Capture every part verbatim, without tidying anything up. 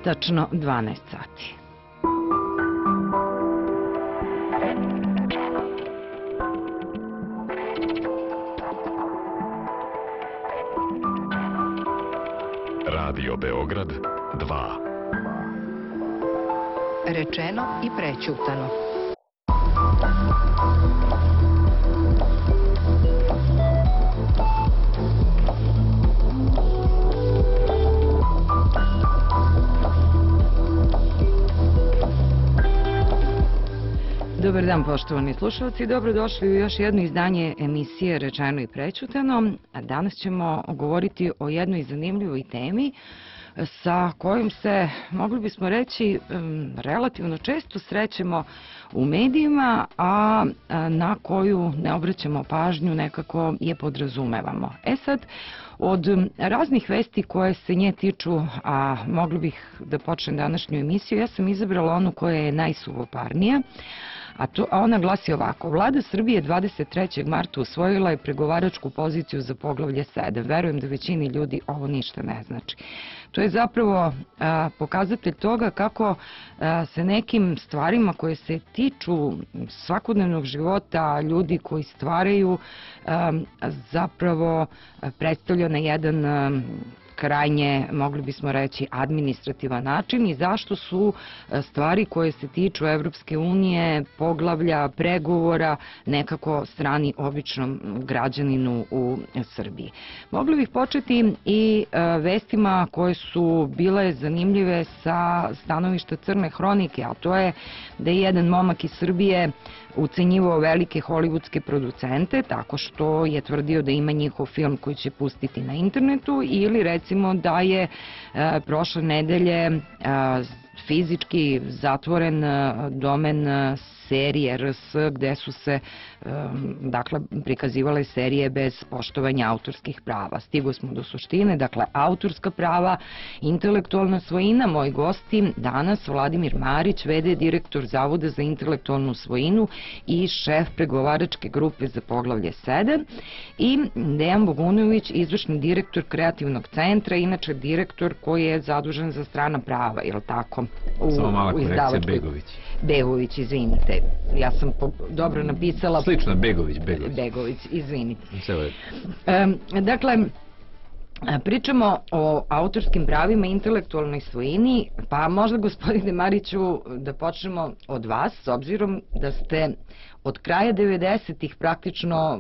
tačno dvanaest sati. Radio Beograd dva. Rečeno i prećutano. Dobar dan, poštovani slušalci, dobrodošli u još jedno izdanje emisije Rečeno i prećutano. Danas ćemo govoriti o jednoj zanimljivoj temi sa kojom se, mogli bismo reći, relativno često srećemo u medijima, a na koju ne obraćamo pažnju, nekako je podrazumevamo. E sad, od raznih vesti koje se nje tiču, a mogli bih da počnem današnju emisiju, ja sam izabrala onu koja je najsuvoparnija, a, to, a ona glasi ovako. Vlada Srbije dvadeset trećeg marta usvojila je pregovaračku poziciju za poglavlje sedam. Verujem da većini ljudi ovo ništa ne znači. To je zapravo a, pokazatelj toga kako a, se nekim stvarima koje se tiču svakodnevnog života ljudi koji stvaraju a, zapravo predstavlja na jedan a, krajnje, mogli bismo reći, administrativan način i zašto su stvari koje se tiču Evropske unije, poglavlja, pregovora, nekako strani običnom građaninu u Srbiji. Mogli bih početi i vestima koje su bile zanimljive sa stanovišta crne hronike, a to je da je jedan momak iz Srbije ucenjivao velike hollywoodske producente tako što je tvrdio da ima njihov film koji će pustiti na internetu, ili recimo da je e, prošle nedelje e, fizički zatvoren domen serije R S gde su se dakle prikazivale serije bez poštovanja autorskih prava. Stigo smo do suštine, dakle autorska prava, intelektualna svojina. Moji gosti danas Vladimir Marić, v d direktor Zavoda za intelektualnu svojinu i šef pregovaračke grupe za poglavlje sedam, i Dejan Bogunović, izvršni direktor kreativnog centra, inače direktor koji je zadužen za strana prava, je li tako? U, Samo mala korekcija, Begović. Begović, izvinite. Ja sam po, dobro napisala... Slično, Begović, Begović. Begović, izvinite. Sve e, dakle, pričamo o autorskim pravima i intelektualnoj svojini, pa možda, gospodine Mariću, da počnemo od vas, s obzirom da ste od kraja devedesetih praktično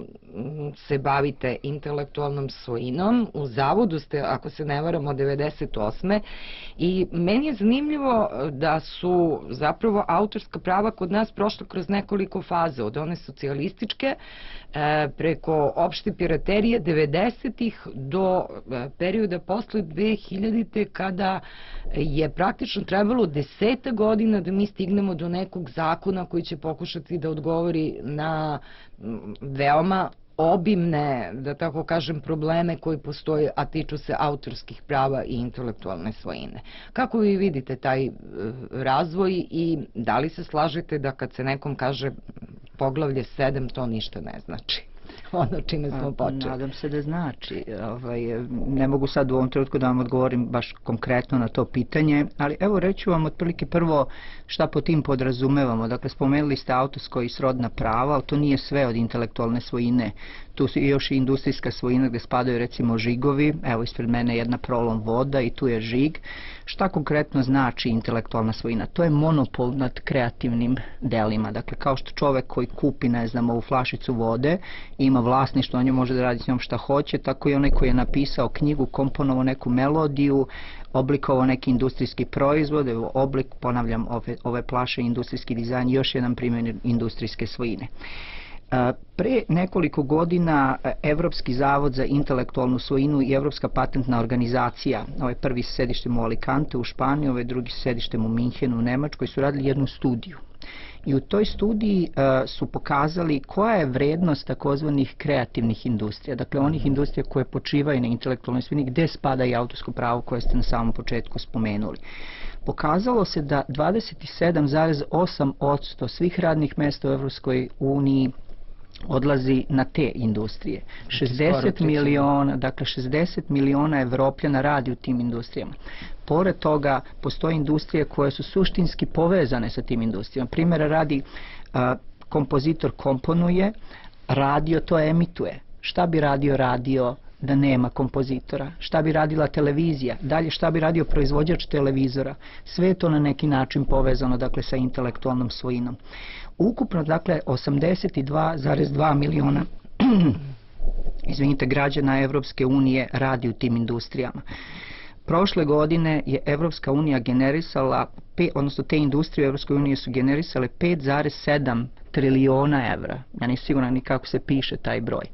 se bavite intelektualnom svojinom. U Zavodu ste, ako se ne varam, od devedeset osme i meni je zanimljivo da su zapravo autorska prava kod nas prošla kroz nekoliko faza, od one socijalističke preko opšte piraterije devedesetih do perioda posle dve hiljadite kada je praktično trebalo deseta godina da mi stignemo do nekog zakona koji će pokušati da odgovori na veoma obimne, da tako kažem, probleme koji postoje, a tiču se autorskih prava i intelektualne svojine. Kako vi vidite taj razvoj i da li se slažete da kad se nekom kaže poglavlje sedam, to ništa ne znači? Ono čime smo počeli. Nadam se da znači. Ovaj, ne mogu sad u ovom trenutku da vam odgovorim baš konkretno na to pitanje, ali evo reću vam otprilike prvo šta po tim podrazumevamo. Dakle, spomenuli ste autorsko i srodna prava, ali to nije sve od intelektualne svojine. Tu su još i industrijska svojina gde spadaju recimo žigovi. Evo ispred mene jedna prolom voda i tu je žig. Šta konkretno znači intelektualna svojina? To je monopol nad kreativnim delima. Dakle, kao što čovek koji kupi, ne znam, ovu flašicu vode, ima vlasništvo, on je može da radi s njom šta hoće, tako i onaj koji je napisao knjigu, komponovao neku melodiju, oblikovao neki industrijski proizvod, evo oblik, ponavljam, ove, ove plaše, industrijski dizajn, još jedan primjer industrijske svojine. Pre nekoliko godina Evropski zavod za intelektualnu svojinu i Evropska patentna organizacija, ovaj prvi s sedištem u Alicante u Španiji, ovaj drugi s sedištem u Minhenu u Nemačkoj, su radili jednu studiju. I u toj studiji uh, su pokazali koja je vrednost takozvanih kreativnih industrija, dakle onih industrija koje počivaju na intelektualnoj svojini, gde spada i autorsko pravo koje ste na samom početku spomenuli. Pokazalo se da dvadeset sedam zarez osam posto svih radnih mesta u Evropskoj uniji odlazi na te industrije. šezdeset miliona, dakle šezdeset miliona Evropljana radi u tim industrijama. Pored toga, postoje industrije koje su suštinski povezane sa tim industrijama. Primjera radi, a, kompozitor komponuje, radio to emituje. Šta bi radio radio da nema kompozitora? Šta bi radila televizija? Dalje, šta bi radio proizvođač televizora? Sve je to na neki način povezano, dakle, sa intelektualnom svojinom. Ukupno, dakle, osamdeset dva zarez dva miliona izvinite, građana Evropske unije radi u tim industrijama. Prošle godine je Evropska unija generisala, odnosno te industrije u Evropskoj uniji su generisale pet zarez sedam triliona evra. Ja nisam siguran ni kako se piše taj broj.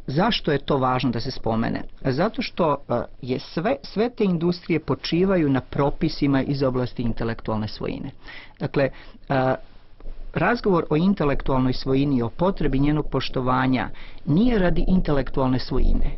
Zašto je to važno da se spomene? Zato što je sve, sve te industrije počivaju na propisima iz oblasti intelektualne svojine. Dakle, razgovor o intelektualnoj svojini, o potrebi njenog poštovanja, nije radi intelektualne svojine,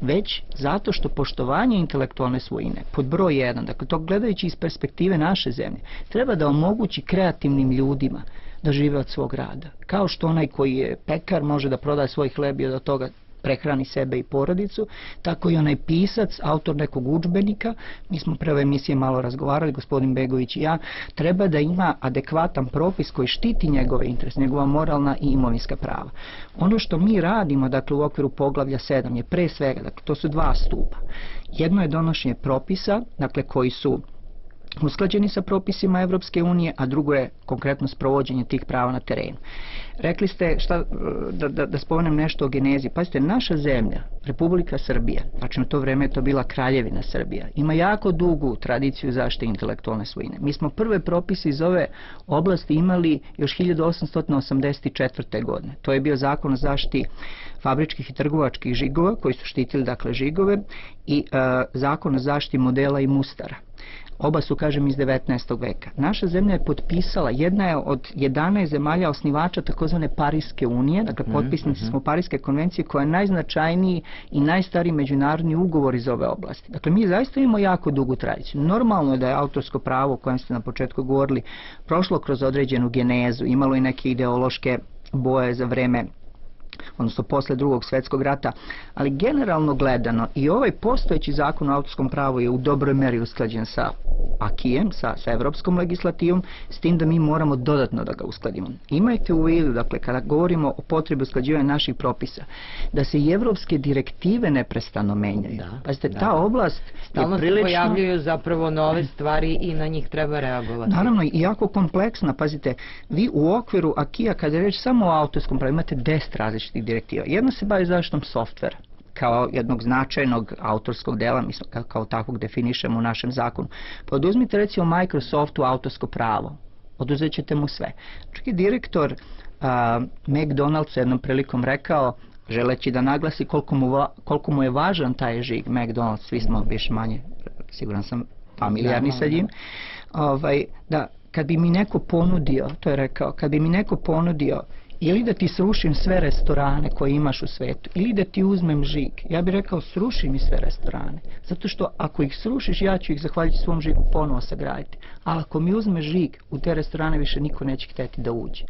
već zato što poštovanje intelektualne svojine, pod broj jedan, dakle to gledajući iz perspektive naše zemlje, treba da omogući kreativnim ljudima da žive od svog rada. Kao što onaj koji je pekar može da proda svoj hleb i od toga prehrani sebe i porodicu, tako i onaj pisac, autor nekog udžbenika, mi smo pre ove emisije malo razgovarali, gospodin Begović i ja, treba da ima adekvatan propis koji štiti njegove interese, njegova moralna i imovinska prava. Ono što mi radimo, dakle, u okviru poglavlja sedam je pre svega, dakle, to su dva stupa. Jedno je donošenje propisa, dakle, koji su usklađeni sa propisima Evropske unije, a drugo je konkretno sprovođenje tih prava na terenu. Rekli ste, šta, da, da, da spomenem nešto o genezi. Pazite, naša zemlja, Republika Srbija, znači na to vreme je to bila Kraljevina Srbija, ima jako dugu tradiciju zaštite intelektualne svojine. Mi smo prve propise iz ove oblasti imali još hiljadu osamsto osamdeset četvrte. godine. To je bio zakon o zaštiti fabričkih i trgovačkih žigova, koji su štitili, dakle, žigove, i uh, zakon o zaštiti modela i mustara. Oba su, kažem, iz devetnaestog veka. Naša zemlja je potpisala, jedna je od jedanaest zemalja osnivača takozvane Pariske unije, dakle potpisnici smo Pariske konvencije, koja je najznačajniji i najstariji međunarodni ugovor iz ove oblasti. Dakle, mi zaista imamo jako dugu tradiciju. Normalno je da je autorsko pravo, o kojem ste na početku govorili, prošlo kroz određenu genezu, imalo i neke ideološke boje za vreme, odnosno posle drugog svjetskog rata, ali generalno gledano i ovaj postojeći zakon o autorskom pravu je u dobroj meri usklađen sa akijem, sa, sa evropskom legislativom, s tim da mi moramo dodatno da ga uskladimo. Imajte u vidu, dakle, kada govorimo o potrebi usklađivanja naših propisa, da se i evropske direktive neprestano menjaju. Da, Pazite, da. ta oblast stalno je prilično... se pojavljuju zapravo nove stvari i na njih treba reagovati. Naravno, i jako kompleksna. Pazite, vi u okviru akija, kada je reč samo o autorskom pravu, imate deset različitih direktiva. Jedna se bavi zaštitom softvera kao jednog značajnog autorskog dela, mi kao, kao takvog definišemo u našem zakonu. Pa oduzmite recimo Microsoftu autorsko pravo, oduzet ćete mu sve. Čak i direktor uh, McDonald's jednom prilikom rekao, želeći da naglasi koliko mu, va, koliko mu je važan taj žig McDonald's, svi smo više manje, siguran sam, familijarni sa njim, ovaj, da kad bi mi neko ponudio, to je rekao, kad bi mi neko ponudio ili da ti srušim sve restorane koje imaš u svetu, ili da ti uzmem žig, ja bih rekao sruši mi sve restorane. Zato što ako ih srušiš, ja ću ih zahvaljujući svom žigu ponovo sagraditi. Ali ako mi uzme žig, u te restorane više niko neće hteti da uđe.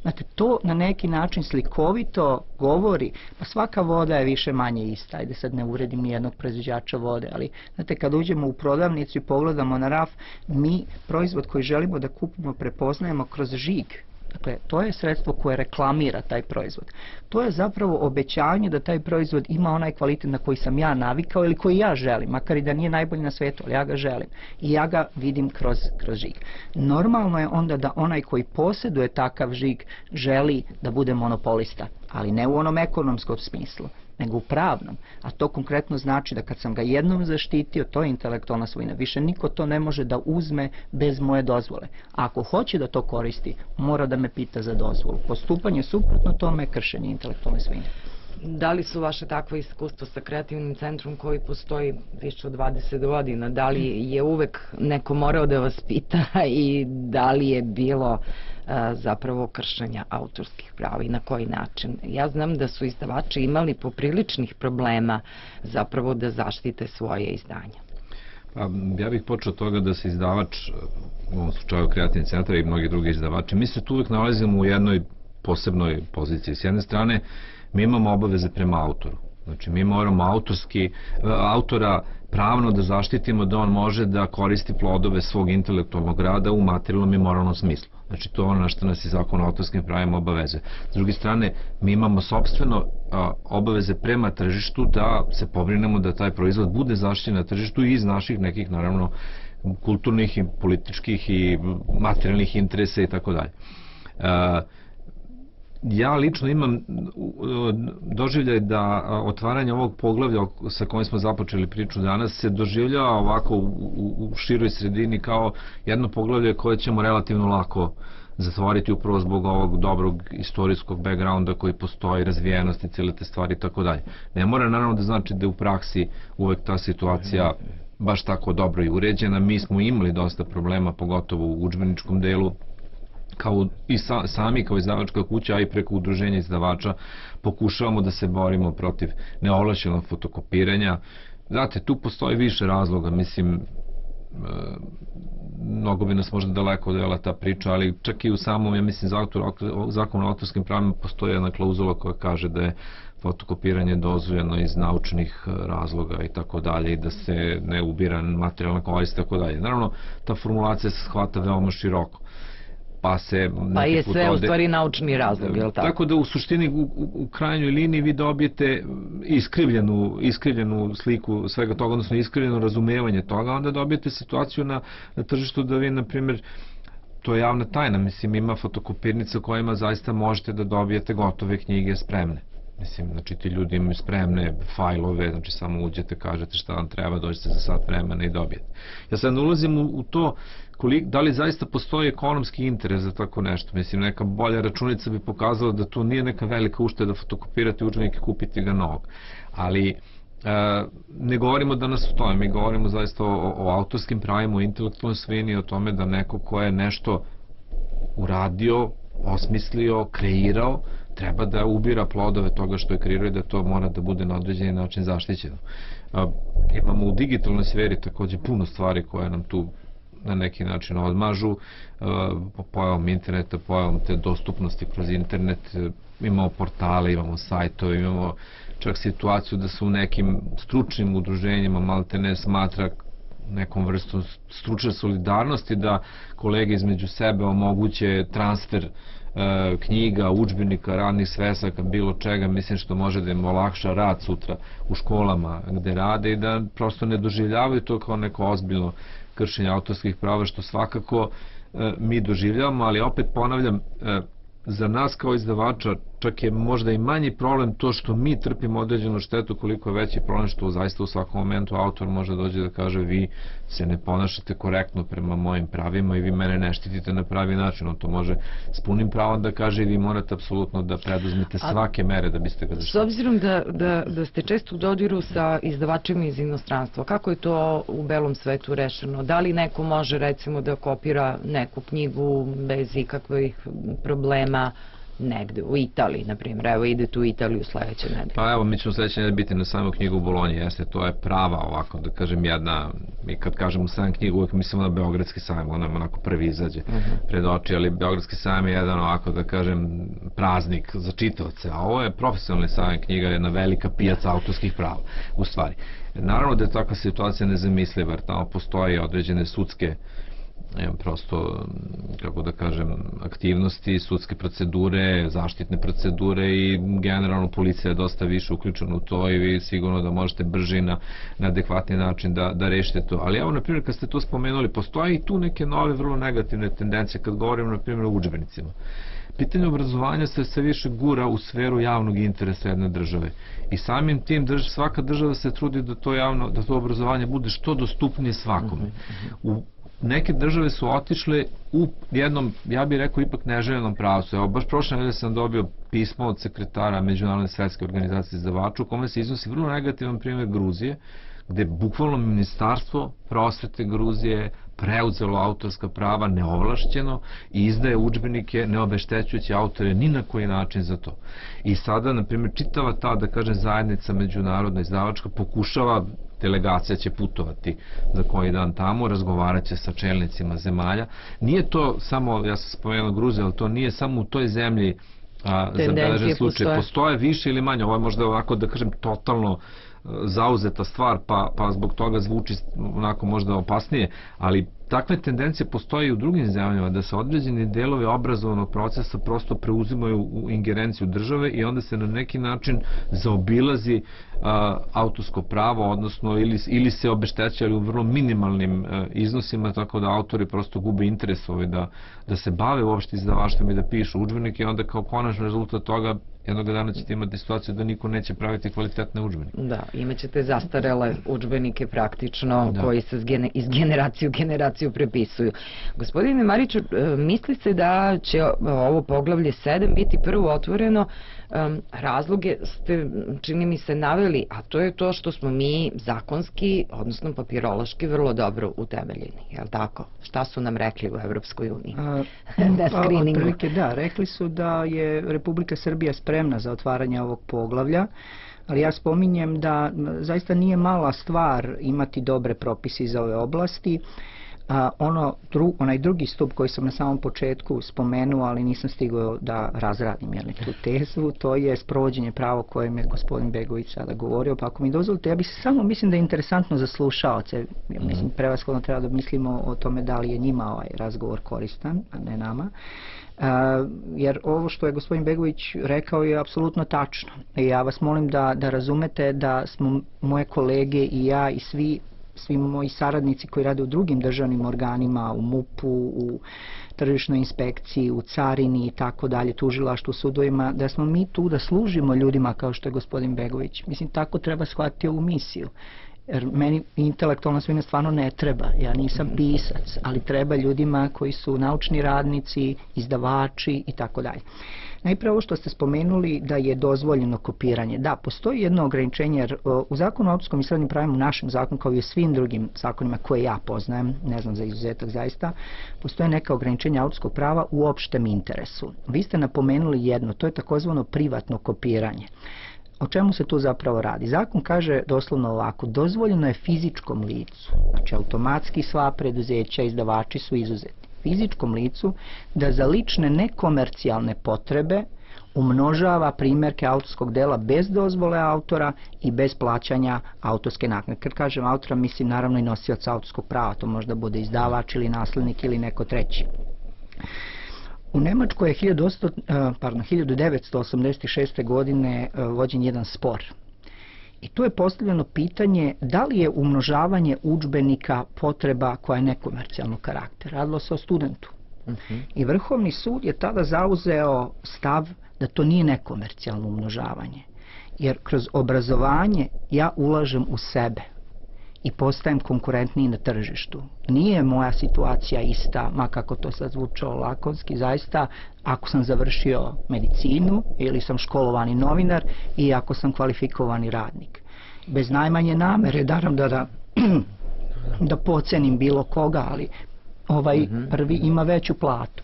Znate, to na neki način slikovito govori, pa svaka voda je više manje ista, ajde sad ne uredim ni jednog proizvođača vode, ali znate, kad uđemo u prodavnicu i pogledamo na raf, mi proizvod koji želimo da kupimo prepoznajemo kroz žig. Dakle, to je sredstvo koje reklamira taj proizvod. To je zapravo obećanje da taj proizvod ima onaj kvalitet na koji sam ja navikao ili koji ja želim, makar i da nije najbolji na svijetu, ali ja ga želim. I ja ga vidim kroz, kroz žig. Normalno je onda da onaj koji posjeduje takav žig želi da bude monopolista, ali ne u onom ekonomskom smislu, nego u pravnom. A to konkretno znači da kad sam ga jednom zaštitio, to je intelektualna svojina. Više niko to ne može da uzme bez moje dozvole. A ako hoće da to koristi, mora da me pita za dozvolu. Postupanje suprotno tome je kršenje intelektualne svojine. Da li su vaše takvo iskustvo sa kreativnim centrom koji postoji više od dvadeset godina? Da li je uvek neko morao da vas pita i da li je bilo a, zapravo kršenja autorskih prava i na koji način? Ja znam da su izdavači imali popriličnih problema zapravo da zaštite svoje izdanja. Pa, ja bih počeo od toga da se izdavač, u ovom slučaju kreativni centar i mnogi drugi izdavači, mi se tu uvek nalazimo u jednoj posebnoj poziciji. S jedne strane, mi imamo obaveze prema autoru. Znači, mi moramo autorski, autora pravno da zaštitimo da on može da koristi plodove svog intelektualnog rada u materijalnom i moralnom smislu. Znači, to je ono na što nas i zakon o autorskim pravima obavezuje. S druge strane, mi imamo sopstveno a, obaveze prema tržištu da se pobrinemo da taj proizvod bude zaštićen na tržištu i iz naših nekih, naravno, kulturnih i političkih i materijalnih interesa i tako dalje. Ja lično imam doživljaj da otvaranje ovog poglavlja sa kojim smo započeli priču danas se doživljava ovako u, u, u široj sredini kao jedno poglavlje koje ćemo relativno lako zatvoriti upravo zbog ovog dobrog istorijskog backgrounda koji postoji, razvijenosti, cijele te stvari i tako dalje. Ne mora naravno da znači da u praksi uvek ta situacija baš tako dobro i uređena. Mi smo imali dosta problema, pogotovo u udžbeničkom delu, kao i sa, sami kao izdavačka kuća, a i preko udruženja izdavača pokušavamo da se borimo protiv neovlašćenog fotokopiranja. Znate, tu postoji više razloga, mislim, e, mnogo bi nas možda daleko odvela ta priča, ali čak i u samom, ja mislim, zakonu o autorskim pravima postoji jedna klauzula koja kaže da je fotokopiranje dozvoljeno iz naučnih razloga i tako dalje i da se ne ubira materijalna korist i tako dalje. Naravno, ta formulacija se shvata veoma široko. Pa, se pa je sve u stvari naučni razlog, je li tako? Tako da u suštini u, u, u krajnjoj liniji vi dobijete iskrivljenu, iskrivljenu sliku svega toga, odnosno iskrivljeno razumevanje toga, onda dobijete situaciju na, na tržištu da vi, na primjer, to je javna tajna, mislim, ima fotokopirnica kojima zaista možete da dobijete gotove knjige spremne. Mislim, znači ti ljudi imaju spremne fajlove, znači samo uđete, kažete šta vam treba, dođete za sat vremena i dobijete. Ja sad ne ulazim u, u to kolik, da li zaista postoji ekonomski interes za tako nešto. Mislim, neka bolja računica bi pokazala da to nije neka velika ušteda fotokopirati udžbenik i kupiti ga novog. Ali e, ne govorimo danas o tome, mi govorimo zaista o, o autorskim pravima, o intelektualnoj svojini, o tome da neko ko je nešto uradio, osmislio, kreirao, treba da ubira plodove toga što je kreirao i da to mora da bude na određeni način zaštićeno. A, imamo u digitalnoj sferi takođe puno stvari koje nam tu na neki način odmažu, po pojavom interneta, pojavom te dostupnosti kroz internet, imamo portale, imamo sajtove, imamo čak situaciju da se u nekim stručnim udruženjima malte ne smatra nekom vrstom stručne solidarnosti da kolege između sebe omoguće transfer e, knjiga, udžbenika, radnih svesaka, bilo čega, mislim što može da im olakša rad sutra u školama gde rade i da prosto ne doživljavaju to kao neko ozbiljno kršenje autorskih prava, što svakako e, mi doživljavamo, ali opet ponavljam, e, za nas kao izdavača čak je možda i manji problem to što mi trpimo određenu štetu, koliko je veći problem što zaista u svakom momentu autor može dođe da kaže vi se ne ponašate korektno prema mojim pravima i vi mene ne štitite na pravi način. On to može s punim pravom da kaže i vi morate apsolutno da preduzmete svake mere da biste ga zaštitili. S obzirom da, da, da ste često u dodiru sa izdavačima iz inostranstva, kako je to u belom svetu rešeno? Da li neko može recimo da kopira neku knjigu bez ikakvih problema negde, u Italiji, na primjer, evo idete u Italiju sledeće nedelje. Pa evo, mi ćemo sledeće nedelje biti na samoj knjigu u Bolonji, jeste, to je prava ovako, da kažem jedna, mi kad kažemo sajam knjigu, uvijek mislimo na Beogradski sajam, on nam onako prvi izađe uh -huh. pred oči, ali Beogradski sajam je jedan ovako, da kažem, praznik za čitaoce, a ovo je profesionalni sajam knjiga, jedna velika pijaca autorskih prava, u stvari. Naravno da je takva situacija nezamisliva, jer tamo postoje određene sudske prosto, kako da kažem, aktivnosti, sudske procedure, zaštitne procedure i generalno policija je dosta više uključena u to i vi sigurno da možete brže na, na adekvatni način da, da rešite to. Ali evo, na primjer, kad ste to spomenuli, postoje i tu neke nove, vrlo negativne tendencije kad govorimo, na primjer, o udžbenicima. Pitanje obrazovanja se sve više gura u sferu javnog interesa jedne države. I samim tim drž, svaka država se trudi da to, javno, da to obrazovanje bude što dostupnije svakome. U neke države su otišle u jednom, ja bih rekao, ipak neželjenom pravcu. Evo, baš prošle nedelje sam dobio pismo od sekretara Međunarodne svetske organizacije izdavača u kome se iznosi vrlo negativan primjer Gruzije, gde bukvalno ministarstvo prosvete Gruzije preuzelo autorska prava neovlašćeno i izdaje udžbenike ne obeštećujući autore ni na koji način za to. I sada, na primjer, čitava ta, da kažem, zajednica međunarodna izdavačka pokušava, delegacija će putovati za koji dan tamo, razgovarat će sa čelnicima zemalja. Nije to samo, ja sam spomenuo Gruziju, ali to nije samo u toj zemlji a, zabeležen slučaj. Postoje. postoje više ili manje, ovo je možda ovako da kažem totalno zauzeta stvar, pa, pa zbog toga zvuči onako možda opasnije, ali takve tendencije postoje i u drugim zemljama, da se određeni delovi obrazovnog procesa prosto preuzimaju u ingerenciju države i onda se na neki način zaobilazi a, autorsko pravo, odnosno ili, ili se obeštećaju u vrlo minimalnim a, iznosima, tako da autori prosto gube interes ovaj, da, da se bave uopšte izdavaštvom i da pišu udžbenike i onda kao konačni rezultat toga jednog dana ćete imati situaciju da niko neće praviti kvalitetne udžbenike. Da, imaćete zastarele udžbenike praktično da. koji se iz generacije u generaciju prepisuju. Gospodine Mariću, misli se da će ovo poglavlje sedam biti prvo otvoreno, razloge ste, čini mi se, naveli, a to je to što smo mi zakonski, odnosno papirološki, vrlo dobro utemeljeni, je li tako? Šta su nam rekli u Evropskoj uniji? Da, screeningu. Da, rekli su da je Republika Srbija spremna za otvaranje ovog poglavlja, ali ja spominjem da zaista nije mala stvar imati dobre propise iz ove oblasti. A, ono, dru, onaj drugi stup koji sam na samom početku spomenuo, ali nisam stigao da razradim jeli, tu tezu, to je sprovođenje prava o kojem je gospodin Begović sada govorio, pa ako mi dozvolite, ja bih samo, mislim da je interesantno za slušaoce, ja mislim prevashodno treba da mislimo o tome da li je njima ovaj razgovor koristan, a ne nama. Uh, jer ovo što je gospodin Begović rekao je apsolutno tačno. I ja vas molim da, da razumete da smo moje kolege i ja i svi svi moji saradnici koji rade u drugim državnim organima, u MUP-u, u tržišnoj inspekciji, u carini i tako dalje, tužilaštvu, sudovima, da smo mi tu da služimo ljudima kao što je gospodin Begović. Mislim, tako treba shvatiti ovu misiju. Jer meni intelektualna svojina stvarno ne treba, ja nisam pisac, ali treba ljudima koji su naučni radnici, izdavači i tako dalje. Najprije ovo što ste spomenuli da je dozvoljeno kopiranje. Da, postoji jedno ograničenje, jer u zakonu o autorskom i srodnim pravima, u našem zakonu, kao i u svim drugim zakonima koje ja poznajem, ne znam za izuzetak zaista, postoje neka ograničenja autorskog prava u opštem interesu. Vi ste napomenuli jedno, to je takozvano privatno kopiranje. O čemu se tu zapravo radi? Zakon kaže doslovno ovako, dozvoljeno je fizičkom licu, znači automatski sva preduzeća, izdavači su izuzeti, fizičkom licu da za lične nekomercijalne potrebe umnožava primjerke autorskog dela bez dozvole autora i bez plaćanja autorske naknade. Kad kažem autora, mislim naravno i nosioca autorskog prava, to možda bude izdavač ili naslednik ili neko treći. U Nemačkoj je hiljadu devetsto osamdeset šeste. godine vođen jedan spor. I tu je postavljeno pitanje da li je umnožavanje udžbenika potreba koja je nekomercijalnog karaktera. Radilo se o studentu. Uh-huh. I Vrhovni sud je tada zauzeo stav da to nije nekomercijalno umnožavanje. Jer kroz obrazovanje ja ulažem u sebe i postajem konkurentniji na tržištu. Nije moja situacija ista, ma kako to sad zvučalo lakonski, zaista ako sam završio medicinu ili sam školovani novinar i ako sam kvalifikovani radnik. Bez najmanje namere, daram da, da, da pocenim bilo koga, ali ovaj prvi ima veću platu.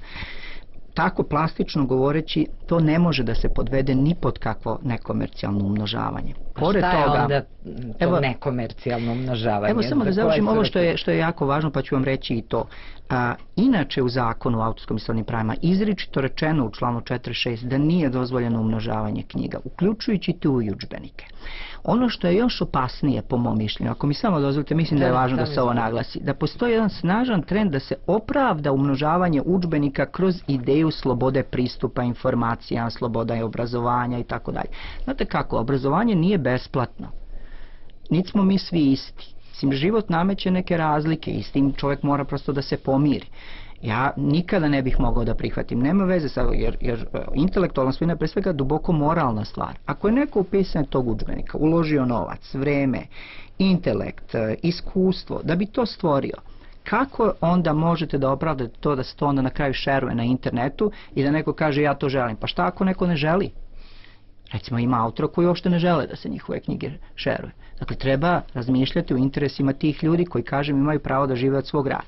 Tako plastično govoreći, to ne može da se podvede ni pod kakvo nekomercijalno umnožavanje. Pored šta je toga, onda to evo, nekomercijalno umnožavanje? Evo samo da završim ovo što je, što je jako važno, pa ću vam reći i to. A, inače u zakonu o autorskom i srodnim pravima izričito rečeno u članu četrdeset šest da nije dozvoljeno umnožavanje knjiga, uključujući tu i udžbenike. Ono što je još opasnije po mom mišljenju, ako mi samo dozvolite, mislim da je važno da se ovo naglasi, da postoji jedan snažan trend da se opravda umnožavanje udžbenika kroz ideju slobode pristupa informacijama, sloboda i obrazovanja i tako dalje. Znate kako, obrazovanje nije besplatno. Niti smo mi svi isti. Mislim, život nameće neke razlike i s tim čovjek mora prosto da se pomiri. Ja nikada ne bih mogao da prihvatim, nema veze sa, jer, jer intelektualna svojina je pre svega duboko moralna stvar. Ako je neko u pisanje tog udžbenika uložio novac, vreme, intelekt, iskustvo, da bi to stvorio, kako onda možete da opravdate to da se to onda na kraju šeruje na internetu i da neko kaže ja to želim? Pa šta ako neko ne želi? Recimo ima autora koji uopšte ne žele da se njihove knjige šeruje. Dakle, treba razmišljati o interesima tih ljudi koji, kažem, imaju pravo da žive od svog rada.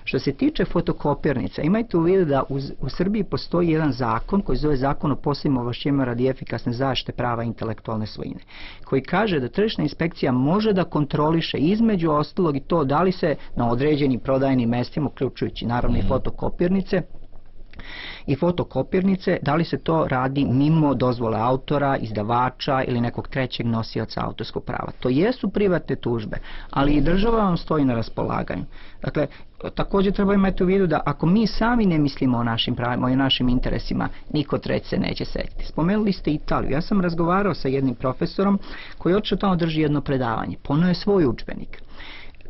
Što se tiče fotokopirnica, imajte u vidu da u, u Srbiji postoji jedan zakon koji zove Zakon o posebnim ovlašćenjima radi efikasne zaštite prava intelektualne svojine, koji kaže da tržišna inspekcija može da kontroliše između ostalog i to da li se na određenim prodajnim mestima, uključujući naravno i fotokopirnice, i fotokopirnice, da li se to radi mimo dozvole autora, izdavača ili nekog trećeg nosioca autorskog prava. To jesu privatne tužbe, ali i država vam stoji na raspolaganju. Dakle, također treba imati u vidu da ako mi sami ne mislimo o našim pravima, o našim interesima, niko treći se neće setiti. Spomenuli ste Italiju. Ja sam razgovarao sa jednim profesorom koji otišao tamo drži jedno predavanje. Poneo je svoj udžbenik.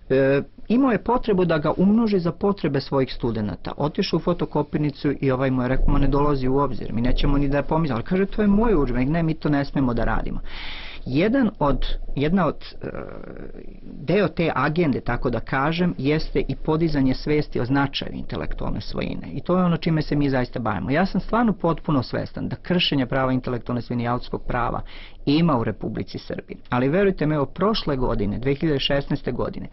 E, imao je potrebu da ga umnoži za potrebe svojih studenata. Otišao u fotokopirnicu i ovaj mu je rekao, ma ne dolazi u obzir, mi nećemo ni da je pomislimo. Kaže, to je moj udžbenik, ne, mi to ne smemo da radimo. Jedan od, jedna od e, deo te agende, tako da kažem, jeste i podizanje svesti o značaju intelektualne svojine. I to je ono čime se mi zaista bavimo. Ja sam stvarno potpuno svestan da kršenje prava intelektualne svojine i autorskog prava ima u Republici Srbiji. Ali verujte me, evo prošle godine, dve hiljade šesnaeste. godine,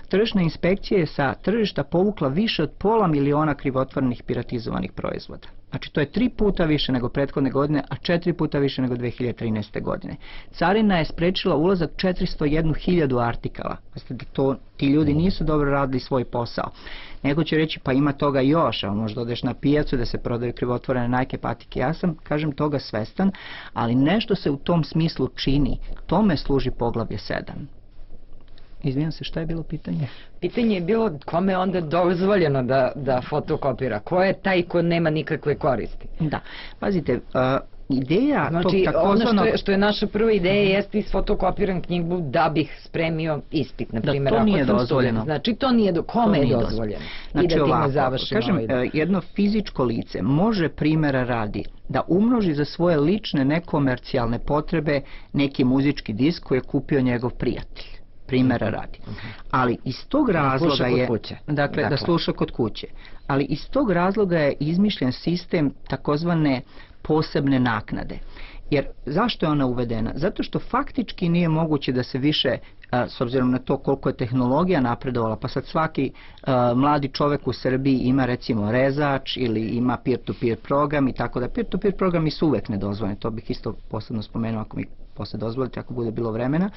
tržišna inspekcija je sa tržišta povukla više od pola miliona krivotvorenih piratizovanih proizvoda. Znači to je tri puta više nego prethodne godine, a četiri puta više nego dve hiljade trinaeste. godine. Carina je sprečila ulazak četiristo jednu hiljadu artikala. Znači da to, ti ljudi nisu dobro radili svoj posao. Neko će reći pa ima toga još, a možda odeš na pijacu da se prodaju krivotvorene Nike patike. Ja sam, kažem, toga svestan, ali nešto se u tom smislu čini. Tome služi poglavlje sedam. Izvijem se, šta je bilo pitanje? Pitanje je bilo kome je onda dozvoljeno da, da fotokopira. Ko je taj ko nema nikakve koristi? Da, pazite, uh, ideja znači, tog takozvanog... ono što je, što je naša prva ideja uh-huh. jeste isfotokopiram knjigu da bih spremio ispit, na primjer. Da, to ako nije sam dozvoljeno. Student. Znači, to nije do... Kome to je dozvoljeno? Znači, I da time ovako, završimo kažem, ovaj... jedno fizičko lice može primjera radi da umnoži za svoje lične nekomercijalne potrebe neki muzički disk koji je kupio njegov prijatelj. Primjera radi. Ali iz tog razloga je, dakle, dakle, da sluša kod kuće. Ali iz tog razloga je izmišljen sistem takozvane posebne naknade. Jer zašto je ona uvedena? Zato što faktički nije moguće da se više, a, s obzirom na to koliko je tehnologija napredovala, pa sad svaki a, mladi čovjek u Srbiji ima recimo rezač ili ima peer-to-peer program i tako da. Peer-to-peer programi su uvek nedozvoljeni, to bih isto posebno spomenuo ako mi posle dozvolite, ako bude bilo vremena.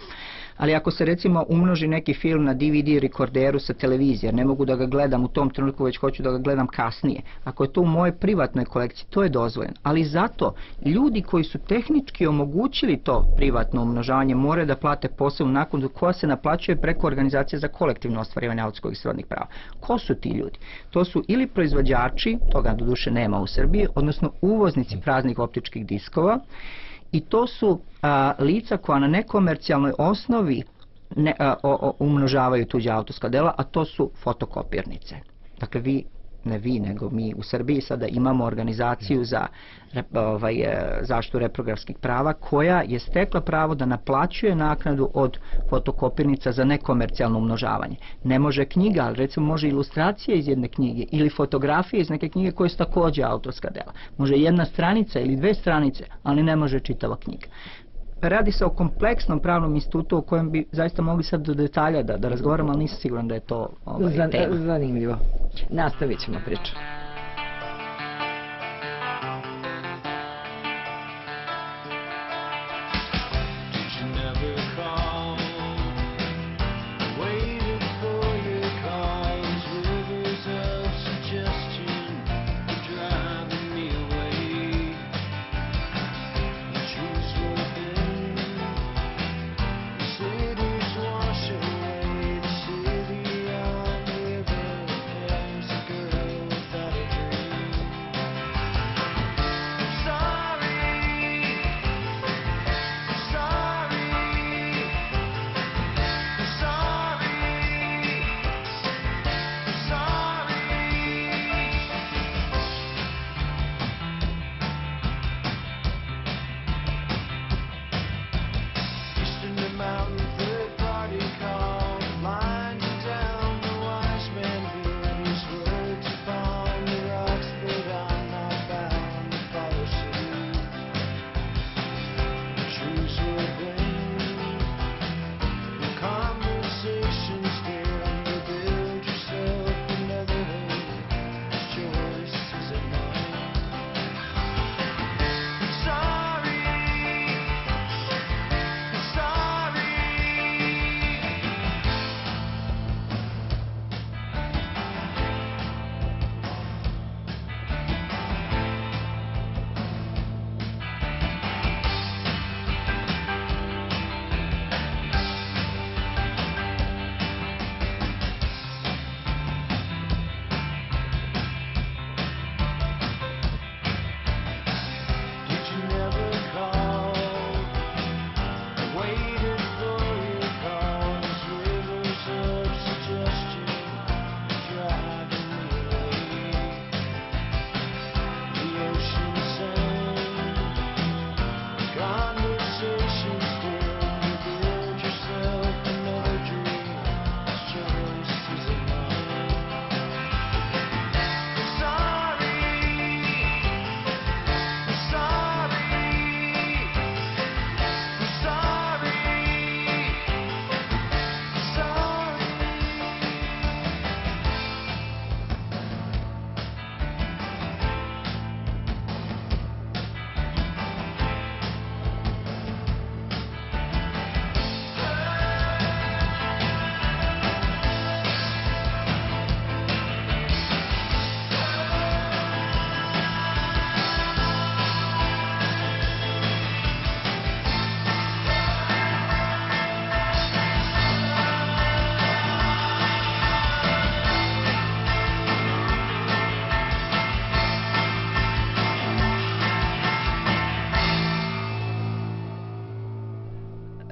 Ali ako se recimo umnoži neki film na D V D rekorderu sa televizije, ne mogu da ga gledam u tom trenutku, već hoću da ga gledam kasnije. Ako je to u mojoj privatnoj kolekciji, to je dozvoljeno. Ali zato ljudi koji su tehnički omogućili to privatno umnožavanje moraju da plate posebnu naknadu koja se naplaćuje preko organizacije za kolektivno ostvarivanje autorskog i srodnih prava. Ko su ti ljudi? To su ili proizvođači, toga doduše nema u Srbiji, odnosno uvoznici praznih optičkih diskova, i to su a, lica koja na nekomercijalnoj osnovi ne, a, o, o, umnožavaju tuđa autorska dela, a to su fotokopirnice. Dakle, vi, ne vi, nego mi u Srbiji sada imamo organizaciju za rep, ovaj, zaštitu reprografskih prava koja je stekla pravo da naplaćuje naknadu od fotokopirnica za nekomercijalno umnožavanje. Ne može knjiga, ali recimo može ilustracija iz jedne knjige ili fotografije iz neke knjige koje su također autorska dela. Može jedna stranica ili dve stranice, ali ne može čitava knjiga. Radi se o kompleksnom pravnom institutu o kojem bi zaista mogli sad do detalja da, da razgovaramo, ali nisam siguran da je to ovaj, Zan, tema. Zanimljivo. Nastavit ćemo priču. Without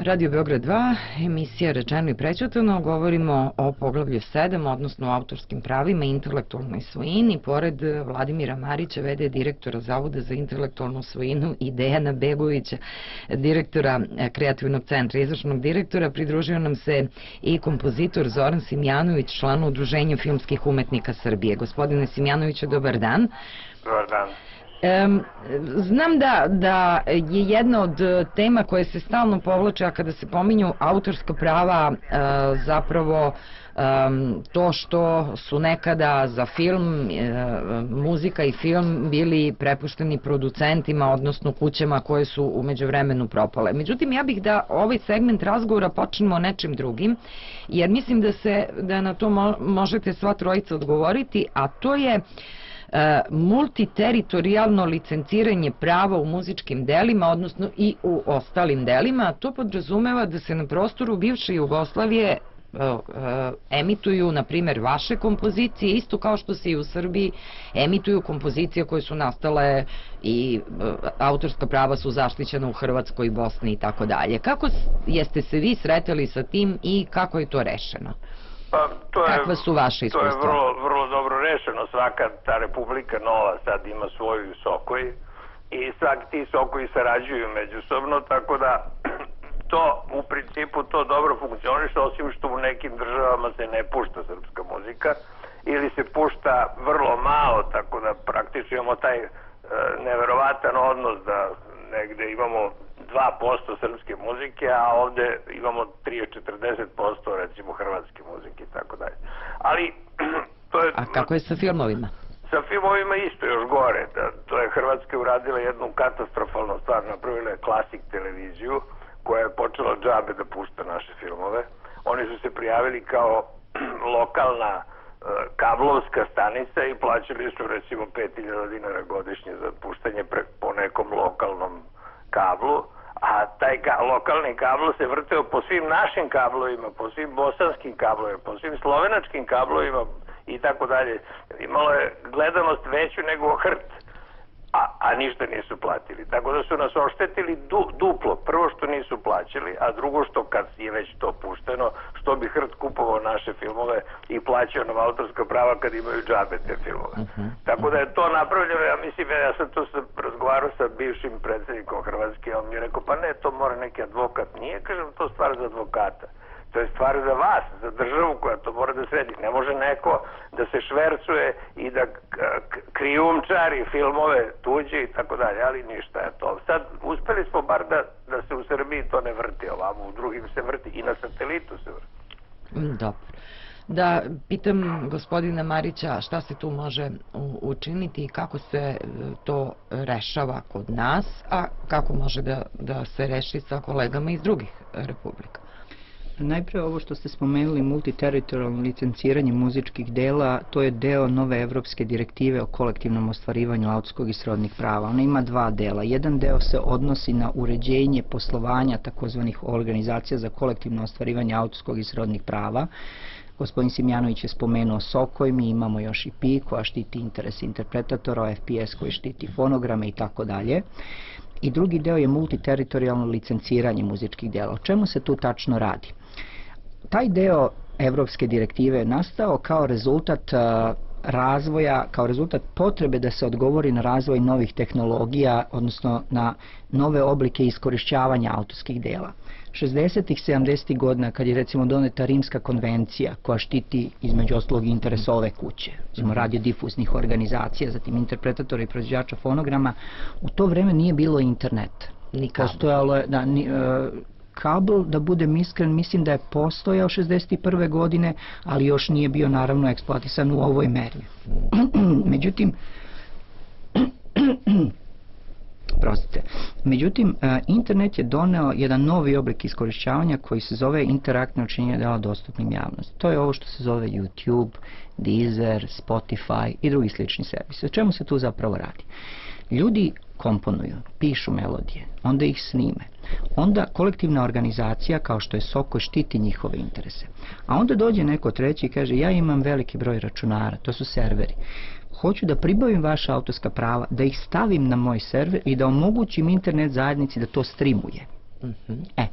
Radio Beograd dva, emisija Rečeno i prećutano, govorimo o poglavlju sedam, odnosno o autorskim pravima i intelektualnoj svojini. Pored Vladimira Marića, v d direktora Zavoda za intelektualnu svojinu, i Dejana Begovića, direktora Kreativnog centra, izvršnog direktora, pridružio nam se i kompozitor Zoran Simjanović, član Udruženja filmskih umetnika Srbije. Gospodine Simjanoviću, dobar dan. Dobar dan. Um, znam da, da je jedna od tema koje se stalno povlače, a kada se pominju autorska prava, uh, zapravo um, to što su nekada za film, uh, muzika i film bili prepušteni producentima, odnosno kućama koje su u međuvremenu propale. Međutim, ja bih da ovaj segment razgovora počnemo nečim drugim, jer mislim da se da na to mo možete sva trojica odgovoriti, a to je multiteritorijalno licenciranje prava u muzičkim delima, odnosno i u ostalim delima. To podrazumeva da se na prostoru bivše Jugoslavije emituju, na primjer, vaše kompozicije, isto kao što se i u Srbiji emituju kompozicije koje su nastale i autorska prava su zaštićena u Hrvatskoj, Bosni i tako dalje. Kako jeste se vi sretali sa tim i kako je to rešeno? Pa, to je, kakva su vaše iskustva? To je vrlo, vrlo dobro rešeno. Svaka ta republika nova sad ima svoju sokoj i svaki ti sokoji sarađuju međusobno, tako da to u principu to dobro funkcioniše, osim što u nekim državama se ne pušta srpska muzika ili se pušta vrlo malo, tako da praktično imamo taj e, neverovatan odnos da negde imamo dva posto srpske muzike, a ovde imamo trideset do četrdeset posto recimo hrvatske muzike i tako dalje. Ali to je... A kako je sa filmovima? Sa filmovima isto još gore. Da, to je Hrvatska uradila jednu katastrofalnu stvar, napravila je Klasik televiziju koja je počela džabe da pušta naše filmove. Oni su se prijavili kao lokalna e, kablovska stanica i plaćali su recimo pet hiljada dinara godišnje za puštanje pre, po nekom lokalnom kablu, a taj ka, lokalni kablo se vrteo po svim našim kablovima, po svim bosanskim kablovima, po svim slovenačkim kablovima i tako dalje. Imalo je gledanost veću nego hrt, a, a ništa nisu platili. Tako da su nas oštetili du, duplo. Prvo što nisu plaćali, a drugo što kad je već to pušteno, što bi hrt kupovao naše filmove i plaćao nam autorska prava kad imaju džabe te filmove. Uh -huh. Tako da je to napravljeno, ja mislim, ja sam to sam razgovarao sa bivšim predsjednikom Hrvatske, on mi je rekao, pa ne, to mora neki advokat. Nije, kažem, to stvar za advokata. To je stvar za vas, za državu koja to mora da sredi. Ne može neko da se švercuje i da krijumčari filmove tuđe i tako dalje, ali ništa je to. Sad uspeli smo bar da, da se u Srbiji to ne vrti ovamo, u drugim se vrti i na satelitu se vrti. Dobro. Da pitam gospodina Marića šta se tu može učiniti i kako se to rešava kod nas, a kako može da, da se reši sa kolegama iz drugih republika. Najpre ovo što ste spomenuli, multiteritorijalno licenciranje muzičkih dela, to je deo nove evropske direktive o kolektivnom ostvarivanju autorskog i srodnih prava. Ona ima dva dela. Jedan deo se odnosi na uređenje poslovanja takozvanih organizacija za kolektivno ostvarivanje autorskog i srodnih prava. Gospodin Simjanović je spomenuo Sokoj, mi imamo još i P I koja štiti interes interpretatora, F P S koji štiti fonograme i tako dalje. I drugi deo je multiteritorijalno licenciranje muzičkih dela. O čemu se tu tačno radi? Taj deo evropske direktive je nastao kao rezultat razvoja, kao rezultat potrebe da se odgovori na razvoj novih tehnologija, odnosno na nove oblike iskorišćavanja autorskih dela. šezdesetih, sedamdesetih godina, kad je recimo doneta Rimska konvencija koja štiti između ostalog interes ove kuće, recimo radiodifuznih organizacija, zatim interpretatora i proizvođača fonograma, u to vreme nije bilo interneta. Postojalo je, da, ni, e, kabel, da budem iskren, mislim da je postojao šezdeset prve godine, ali još nije bio naravno eksploatisan u ovoj meri. Međutim, Prostite. Međutim, internet je doneo jedan novi oblik iskorišćavanja koji se zove interaktno učinjenje dela dostupnim javnosti. To je ovo što se zove YouTube, Deezer, Spotify i drugi slični servisi. O čemu se tu zapravo radi? Ljudi komponuju, pišu melodije, onda ih snime. Onda kolektivna organizacija kao što je Soko štiti njihove interese. A onda dođe neko treći i kaže ja imam veliki broj računara, to su serveri. Hoću da pribavim vaša autorska prava, da ih stavim na moj server i da omogućim internet zajednici da to streamuje. Uh-huh. E,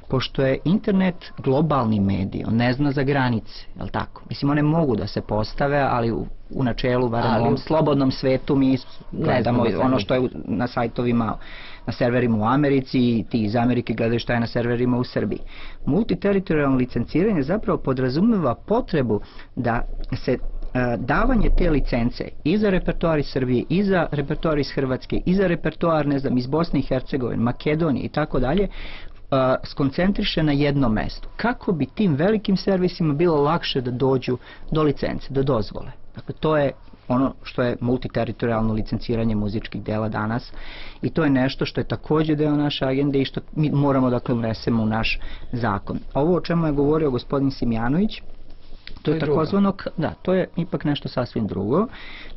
pošto je internet globalni medij, on ne zna za granice, je li tako? Mislim, one mogu da se postave, ali u, u načelu, barem u ovom slobodnom svetu, mi gledamo ono što je na sajtovima, na serverima u Americi, i ti iz Amerike gledaju šta je na serverima u Srbiji. Multiteritorijalno licenciranje zapravo podrazumeva potrebu da se davanje te licence i za repertoar iz Srbije, i za repertoar iz Hrvatske, i za repertoar, ne znam, iz Bosne i Hercegovine, Makedonije i tako dalje, skoncentriše na jednom mestu. Kako bi tim velikim servisima bilo lakše da dođu do licence, do dozvole. Dakle, to je ono što je multiteritorijalno licenciranje muzičkih dela danas, i to je nešto što je također deo naše agende i što mi moramo, dakle, unesemo u naš zakon. Ovo o čemu je govorio gospodin Simjanović, to je takozvano, da, to je ipak nešto sasvim drugo.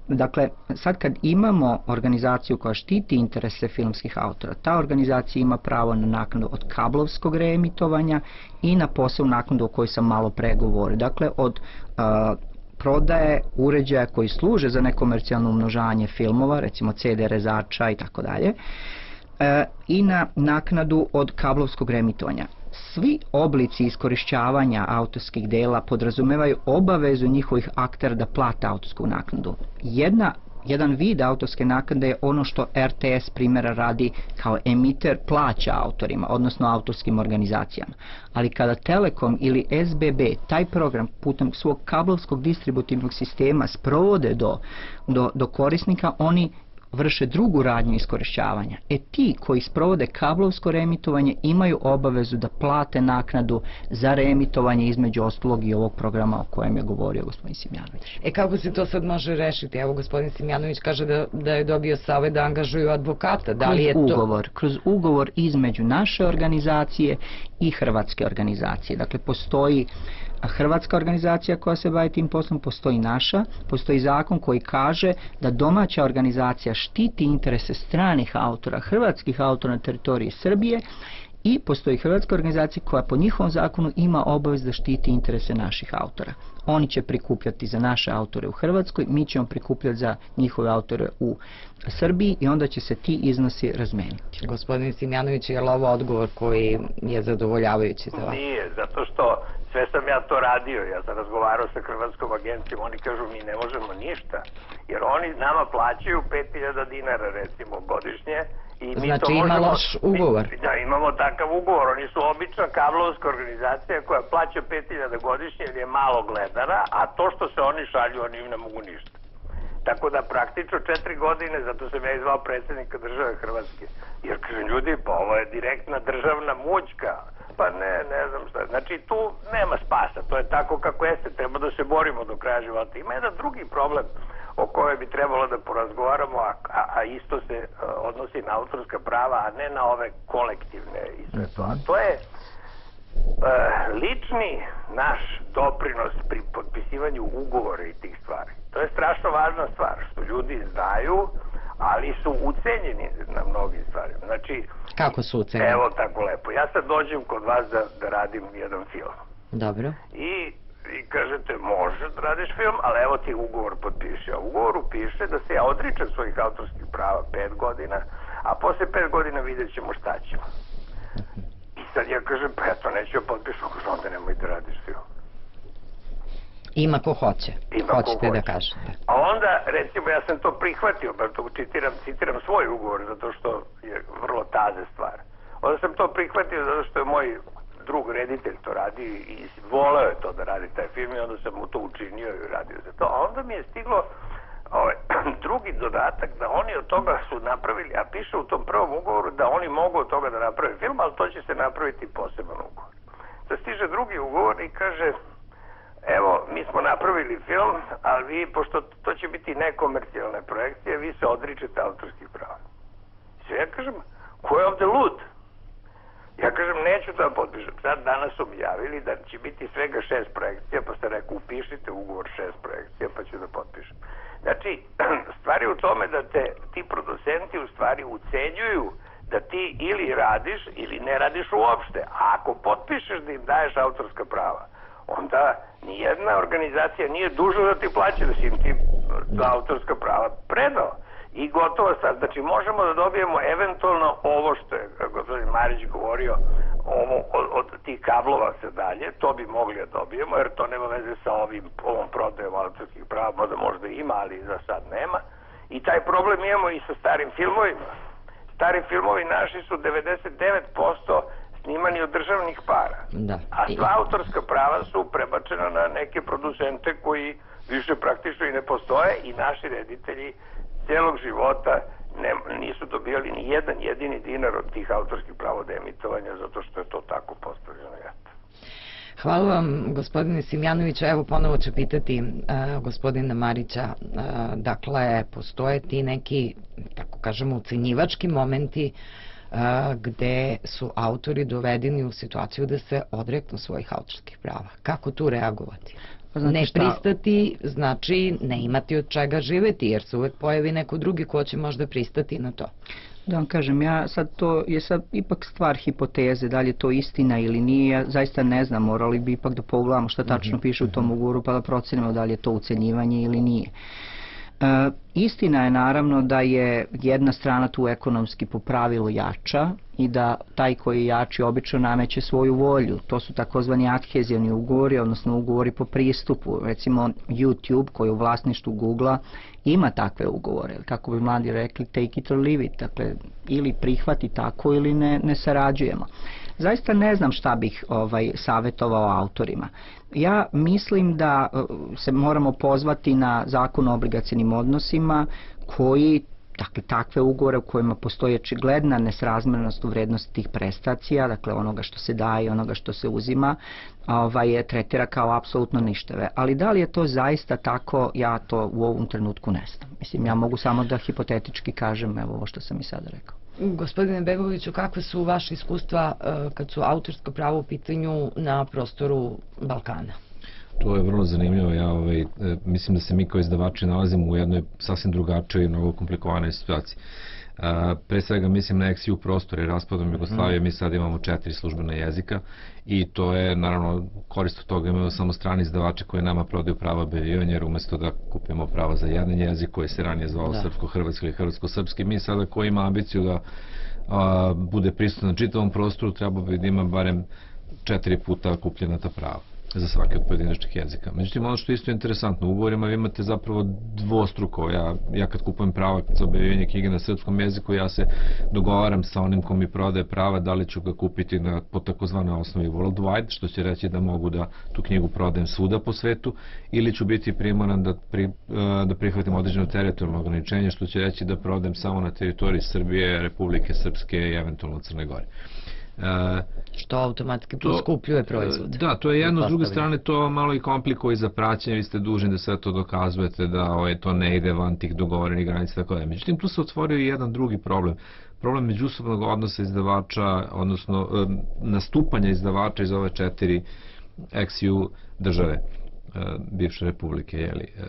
Dakle, sad kad imamo organizaciju koja štiti interese filmskih autora, ta organizacija ima pravo na naknadu od kablovskog reemitovanja i na posebnu naknadu o kojoj sam malo pre govorio. Dakle, od uh, prodaje uređaja koji služe za nekomercijalno umnožavanje filmova, recimo ce de rezača i tako dalje, i na naknadu od kablovskog reemitovanja. Svi oblici iskorišćavanja autorskih dela podrazumevaju obavezu njihovih aktera da plate autorsku naknadu. Jedna Jedan vid autorske naknade je ono što er te es primjera radi kao emiter plaća autorima, odnosno autorskim organizacijama. Ali kada Telekom ili es be be taj program putem svog kablovskog distributivnog sistema sprovode do, do, do korisnika, oni vrše drugu radnju iskorišćavanja. E ti koji sprovode kablovsko reemitovanje imaju obavezu da plate naknadu za reemitovanje, između ostalog i ovog programa o kojem je govorio gospodin Simjanović. E kako se to sad može rešiti? Evo, gospodin Simjanović kaže da, da je dobio savjet da angažuju advokata. Da li je kroz to... ugovor, kroz ugovor između naše organizacije i hrvatske organizacije. Dakle, postoji hrvatska organizacija koja se bavi tim poslom, postoji naša, postoji zakon koji kaže da domaća organizacija štiti interese stranih autora, hrvatskih autora na teritoriji Srbije, i postoji hrvatska organizacija koja po njihovom zakonu ima obavez da štiti interese naših autora. Oni će prikupljati za naše autore u Hrvatskoj, mi ćemo prikupljati za njihove autore u Srbiji i onda će se ti iznosi razmeniti. Gospodin Simjanović, je li ovo odgovor koji je zadovoljavajući za vas? Nije, zato što sve sam ja to radio, ja sam razgovarao sa hrvatskom agencijom, oni kažu mi ne možemo ništa, jer oni nama plaćaju pet hiljada dinara recimo godišnje. I mi znači to ima možemo, loš ugovor. Mi, da, imamo takav ugovor, oni su obična kablovska organizacija koja plaća pet hiljada godišnje jer je malo gledara, a to što se oni šalju, oni im ne mogu ništa. Tako da praktično četiri godine, zato sam ja izvao predsjednika države Hrvatske, jer kažem ljudi, pa ovo je direktna državna mućka, pa ne, ne znam šta. Znači tu nema spasa, to je tako kako jeste, treba da se borimo do kraja života. Ima jedan drugi problem o kojoj bi trebalo da porazgovaramo, a, a, a isto se a, odnosi na autorska prava, a ne na ove kolektivne i sve to. A to je a, lični naš doprinos pri potpisivanju ugovora i tih stvari. To je strašno važna stvar, što ljudi znaju, ali su ucenjeni na mnogim stvarima. Znači, kako su ucenjeni? Evo tako lepo. Ja sad dođem kod vas da, da radim jedan film. Dobro. I i kažete, možeš da radiš film, ali evo ti ugovor potpiši. A u ugovoru piše da se ja odričem svojih autorskih prava pet godina, a posle pet godina vidjet ćemo šta ćemo. I sad ja kažem, pa ja to neću ja potpišem, kažem, onda nemoj da radiš film. Ima ko hoće. Ima Hoćete ko da hoće. kažete. A onda, recimo, ja sam to prihvatio, bar to citiram, citiram svoj ugovor, zato što je vrlo taze stvar. Onda sam to prihvatio zato što je moj drug reditelj to radi i voleo je to da radi taj film i onda sam mu to učinio i radio za to. A onda mi je stiglo ovaj, drugi dodatak da oni od toga su napravili, a piše u tom prvom ugovoru da oni mogu od toga da naprave film, ali to će se napraviti poseban ugovor. Sad stiže drugi ugovor i kaže, evo, mi smo napravili film, ali vi, pošto to će biti nekomercijalne projekcije, vi se odričete autorskih prava. Sve ja kažem, ko je ovde lud? Ja kažem, neću to da potpišem. Sad danas su mi javili da će biti svega šest projekcija, pa ste rekao, upišite ugovor šest projekcija, pa ću da potpišem. Znači, stvari u tome da te ti producenti u stvari ucenjuju da ti ili radiš ili ne radiš uopšte. A ako potpišeš da im daješ autorska prava, onda nijedna organizacija nije dužna da ti plaća, da si im ti autorska prava predao. i gotovo sad. Znači, možemo da dobijemo eventualno ovo što je gospodin Marić govorio, ovo, od, od tih kablova se dalje, to bi mogli da dobijemo, jer to nema veze sa ovim, ovom prodajom autorskih prava, možda možda ima, ali za sad nema. I taj problem imamo i sa starim filmovima. Stari filmovi naši su devedeset devet posto snimani od državnih para. Da. A sva autorska prava su prebačena na neke producente koji više praktično i ne postoje i naši reditelji celog života ne, nisu dobijali ni jedan jedini dinar od tih autorskih prava od emitovanja zato što je to tako postavljeno. Hvala vam, gospodine Simjanoviću. Evo, ponovo ću pitati uh, gospodina Marića, uh, dakle, postoje ti neki, tako kažemo, ucenjivački momenti uh, gde su autori dovedeni u situaciju da se odreknu svojih autorskih prava. Kako tu reagovati? Ne pristati znači ne imati od čega živeti, jer se uvek pojavi neko drugi ko će možda pristati na to. Da vam kažem, ja sad to je sad ipak stvar hipoteze, da li je to istina ili nije, ja zaista ne znam, morali bi ipak da pogledamo šta tačno piše u tom ugovoru pa da procenimo da li je to ucenjivanje ili nije. E, istina je naravno da je jedna strana tu ekonomski po pravilu jača i da taj koji je jači obično nameće svoju volju. To su takozvani adhezivni ugovori, odnosno ugovori po pristupu. Recimo YouTube koji je u vlasništvu Google-a ima takve ugovore, kako bi mladi rekli take it or leave it, dakle ili prihvati tako ili ne, ne sarađujemo. Zaista ne znam šta bih ovaj savjetovao autorima. Ja mislim da se moramo pozvati na zakon o obligacionim odnosima koji, dakle, takve ugovore u kojima postoji očigledna nesrazmjernost u vrednosti tih prestacija, dakle onoga što se daje i onoga što se uzima, ovaj, tretira kao apsolutno ništave. Ali da li je to zaista tako, ja to u ovom trenutku ne znam. Mislim, ja mogu samo da hipotetički kažem evo ovo što sam i sada rekao. Gospodine Begoviću, kakve su vaše iskustva kad su autorsko pravo u pitanju na prostoru Balkana? To je vrlo zanimljivo. Ja ovaj, mislim da se mi kao izdavači nalazimo u jednoj sasvim drugačijoj i mnogo komplikovanoj situaciji. A, pre svega mislim na ex-ju prostor i raspadom Jugoslavije, mi sad imamo četiri službena jezika i to je naravno korist od toga, imamo samo strani izdavače koji nama prodaju prava objavljivanja, jer umesto da kupimo prava za jedan jezik koji se ranije zvao da. srpsko-hrvatski ili hrvatsko-srpski, mi sada koji ima ambiciju da a, bude prisutan na čitavom prostoru, treba bi da ima barem četiri puta kupljena ta prava za svaki od pojedinačnih jezika. Međutim, ono što je isto interesantno, u ugovorima vi imate zapravo dvostruko. Ja, ja kad kupujem prava za objavljivanje knjige na srpskom jeziku, ja se dogovaram sa onim ko mi prodaje prava da li ću ga kupiti na, po takozvanoj osnovi worldwide, što će reći da mogu da tu knjigu prodajem svuda po svetu, ili ću biti primoran da, pri, da prihvatim određeno teritorijalno ograničenje, što će reći da prodajem samo na teritoriji Srbije, Republike Srpske i eventualno Crne Gore. Uh, što automatski poskupljuje proizvod. Da, to je jedno, s druge strane to malo i komplikuje i za praćenje, vi ste dužni da sve to dokazujete, da ovaj, to ne ide van tih dogovorenih granica, tako da. Međutim, tu se otvorio i jedan drugi problem. Problem međusobnog odnosa izdavača, odnosno um, nastupanja izdavača iz ove četiri ex-ju države, uh, bivše republike. Jeli. Uh,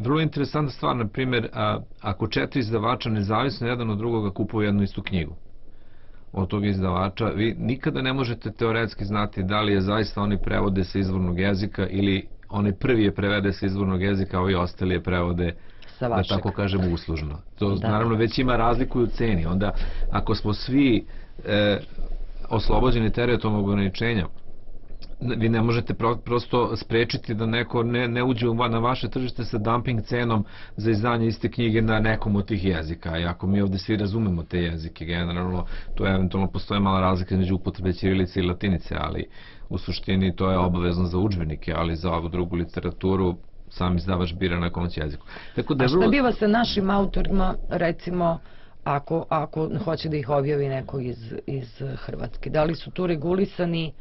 vrlo interesantna stvar, na primjer, uh, ako četiri izdavača nezavisno jedan od drugoga kupuju jednu istu knjigu od tog izdavača, vi nikada ne možete teoretski znati da li je zaista oni prevode sa izvornog jezika ili oni prvi je prevede sa izvornog jezika, a ovi ostali je prevode, da tako kažem, uslužno. To da. Naravno već ima razliku u ceni. Onda, ako smo svi e, oslobođeni teritorijalnog ograničenja, vi ne možete pro, prosto sprečiti da neko ne, ne uđe na vaše tržište sa dumping cenom za izdanje iste knjige na nekom od tih jezika. I ako mi ovde svi razumemo te jezike, generalno, to je eventualno postoje mala razlika između upotrebe ćirilice i latinice, ali u suštini to je obavezno za udžbenike, ali za ovu drugu literaturu sam izdavač bira na kom jeziku. Tako da A šta biva sa našim autorima, recimo, ako, ako hoće da ih objavi neko iz, iz Hrvatske? Da li su tu regulisani,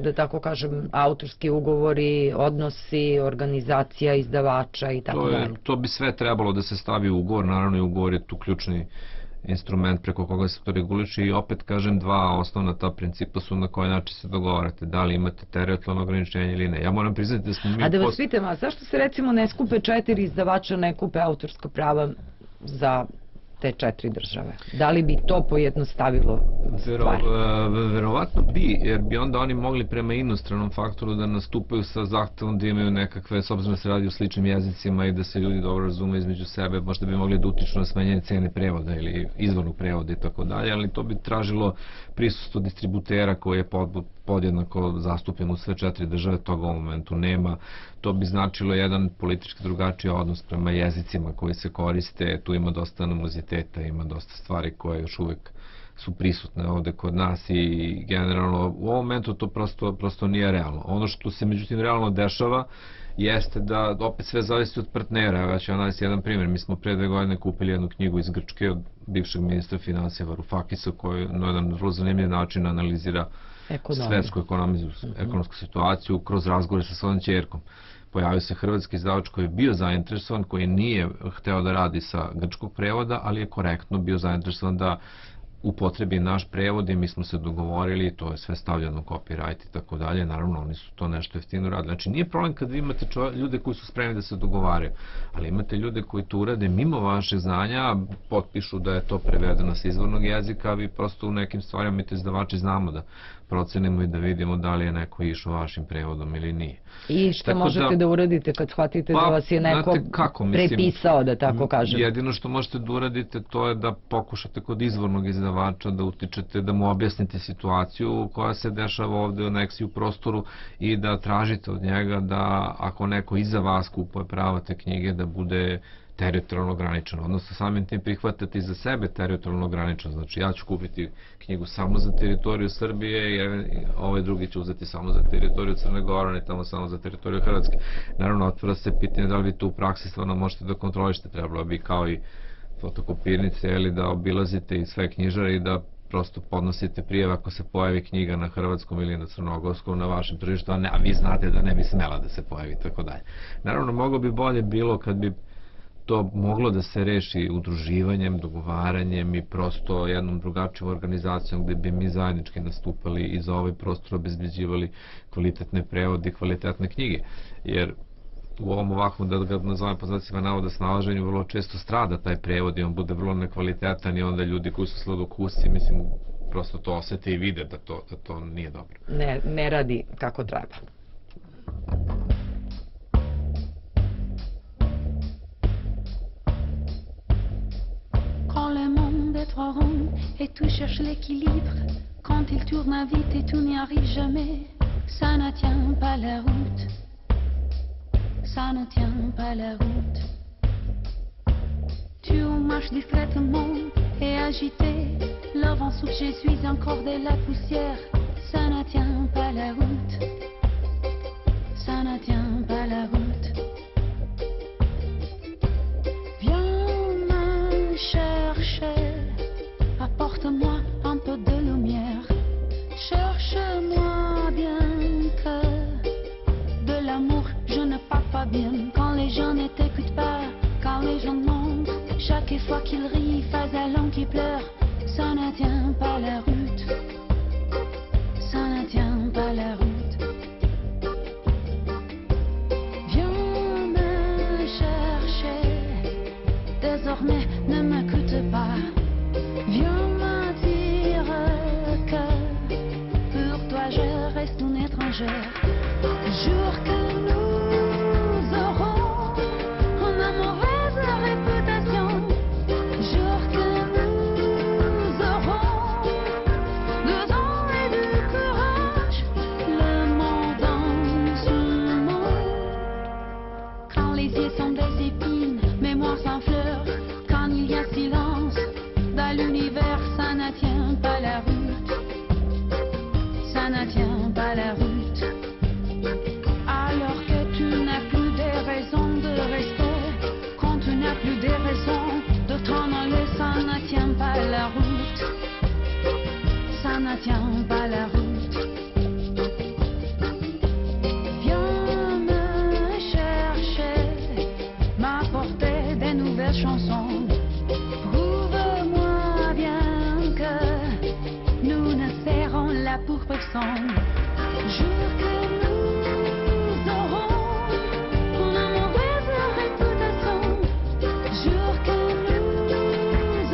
da tako kažem, autorski ugovori, odnosi, organizacija, izdavača i tako dalje? To bi sve trebalo da se stavi u ugovor, naravno i ugovor je tu ključni instrument preko koga se to reguliše i opet kažem, dva osnovna ta principa su na koji način se dogovarate, da li imate teritorijalno ograničenje ili ne. Ja moram priznati da smo mi... A da vas post... pitam, a zašto se recimo ne skupe četiri izdavača, ne kupe autorska prava za te četiri države? Da li bi to pojednostavilo stvari? Vero, verovatno bi, jer bi onda oni mogli prema inostranom faktoru da nastupaju sa zahtevom da imaju nekakve, s obzirom da se radi o sličnim jezicima i da se ljudi dobro razume između sebe, možda bi mogli da utiču na smanjenje cene prevoda ili izvornog prevoda i tako dalje, ali to bi tražilo prisustvo distributera koji je podjednako zastupljen u sve četiri države, toga u momentu nema. To bi značilo jedan politički drugačiji odnos prema jezicima koji se koriste, tu ima dosta animoziteta, ima dosta stvari koje još uvek su prisutne ovde kod nas i generalno u ovom momentu to prosto, prosto nije realno. Ono što se međutim realno dešava jeste da opet sve zavisi od partnera. Ja ću vam navesti jedan primjer. Mi smo pre dve godine kupili jednu knjigu iz Grčke od bivšeg ministra financija Varoufakisa koji na jedan vrlo zanimljiv način analizira svetsku ekonomsku situaciju kroz razgovore sa svojom ćerkom. Pojavio se hrvatski izdavač koji je bio zainteresovan, koji nije hteo da radi sa grčkog prevoda, ali je korektno bio zainteresovan da upotrebi naš prevod i mi smo se dogovorili, to je sve stavljeno copyright i tako dalje, naravno oni su to nešto jeftino radili. Znači nije problem kad vi imate ljude koji su spremni da se dogovaraju, ali imate ljude koji to urade mimo vašeg znanja, potpišu da je to prevedeno sa izvornog jezika, a vi prosto u nekim stvarima mi te izdavači znamo da procenimo i da vidimo da li je neko išao vašim prevodom ili nije. I šta tako možete da, da uradite kad shvatite pa, da vas je neko kako, mislim, prepisao, da tako kažem? Jedino što možete da uradite to je da pokušate kod izvornog izdavača da utičete, da mu objasnite situaciju koja se dešava ovde u Nexiju prostoru i da tražite od njega da ako neko iza vas kupuje prava te knjige da bude teritorijalno ograničeno, odnosno samim tim prihvatati za sebe teritorijalno ograničeno. Znači ja ću kupiti knjigu samo za teritoriju Srbije i ovaj drugi će uzeti samo za teritoriju Crne Gore, ne tamo samo za teritoriju Hrvatske. Naravno, otvara se pitanje da li vi tu u praksi stvarno možete da kontrolišete, trebalo bi kao i fotokopirnice ili da obilazite i sve knjižare i da prosto podnosite prijave ako se pojavi knjiga na hrvatskom ili na crnogorskom na vašem tržištu, a, ne, a vi znate da ne bi smela da se pojavi i tako dalje. Naravno, mnogo bi bolje bilo kad bi to moglo da se reši udruživanjem, dogovaranjem i prosto jednom drugačijom organizacijom gde bi mi zajednički nastupali i za ovaj prostor obezbeđivali kvalitetne prevode i kvalitetne knjige. Jer u ovom ovakvom, da ga nazovem po znacima navoda, snalaženju vrlo često strada taj prevod i on bude vrlo nekvalitetan i onda ljudi koji su sladokusci, mislim, prosto to osete i vide da to, da to nije dobro. Ne, ne radi kako treba. Quand le monde est trop rond et tout cherche l'équilibre, quand il tourne vite et tout n'y arrive jamais, ça ne tient pas la route, ça ne tient pas la route. Tu marches discrètement et agité, le vent souffle, je suis encore de la poussière, ça ne tient pas la route, ça ne tient pas la route. Chercher, apporte-moi un peu de lumière. Cherche-moi bien que de l'amour je ne parle pas bien. Quand les gens ne t'écoutent pas, quand les gens mentent, chaque fois qu'ils rient, face à l'homme qui pleure, ça ne tient pas la route, ça ne tient pas la route. Viens me chercher, désormais ne m'écoute pas. Viens me dire que pour toi je reste une étrangère. Jure que nous aurons une mauvaise réputation. Jure que nous aurons du temps et du courage. Le monde en ce monde. Quand les yeux sont des épines, mémoire sans fleurs. Quand il y a silence dans l'univers, ça ne tient pas la route, ça ne tient pas la route. Alors que tu n'as plus de raisons de rester, quand tu n'as plus de raisons de t'en aller, ça ne tient pas la route, ça ne tient pas la route. Viens me chercher, m'apporter des nouvelles chansons. Prouve-moi bien que nous ne serons là pour personne. Jure que nous aurons une mauvaise réputation. Jure que nous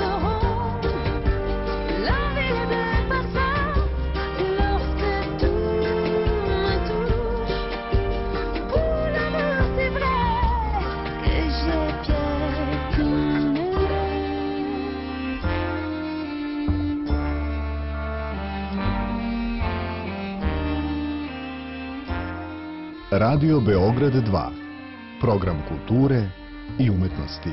Radio Beograd dva. Program kulture i umetnosti.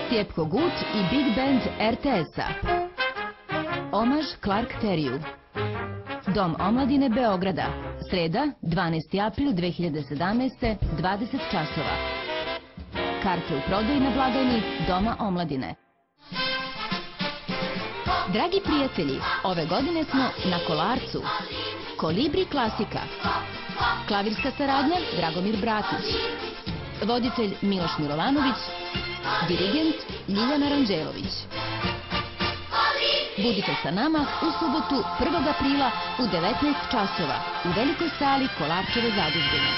Stjepko Gut i Big Band er te es-a. Omaž Clark Terriju. Dom omladine Beograda. Sreda, dvanaesti april dve hiljade sedamnaeste. dvadeset časova. Karte u prodaji na blagajni Doma omladine. Dragi prijatelji, ove godine smo na Kolarcu. Kolibri klasika. Klavirska saradnja Dragomir Bratić. Voditelj Miloš Milovanović. Dirigent Ljiljana Ranđelović. Budite sa nama u subotu prvog aprila u devetnaest časova u velikoj sali Kolarčeve zadužbine.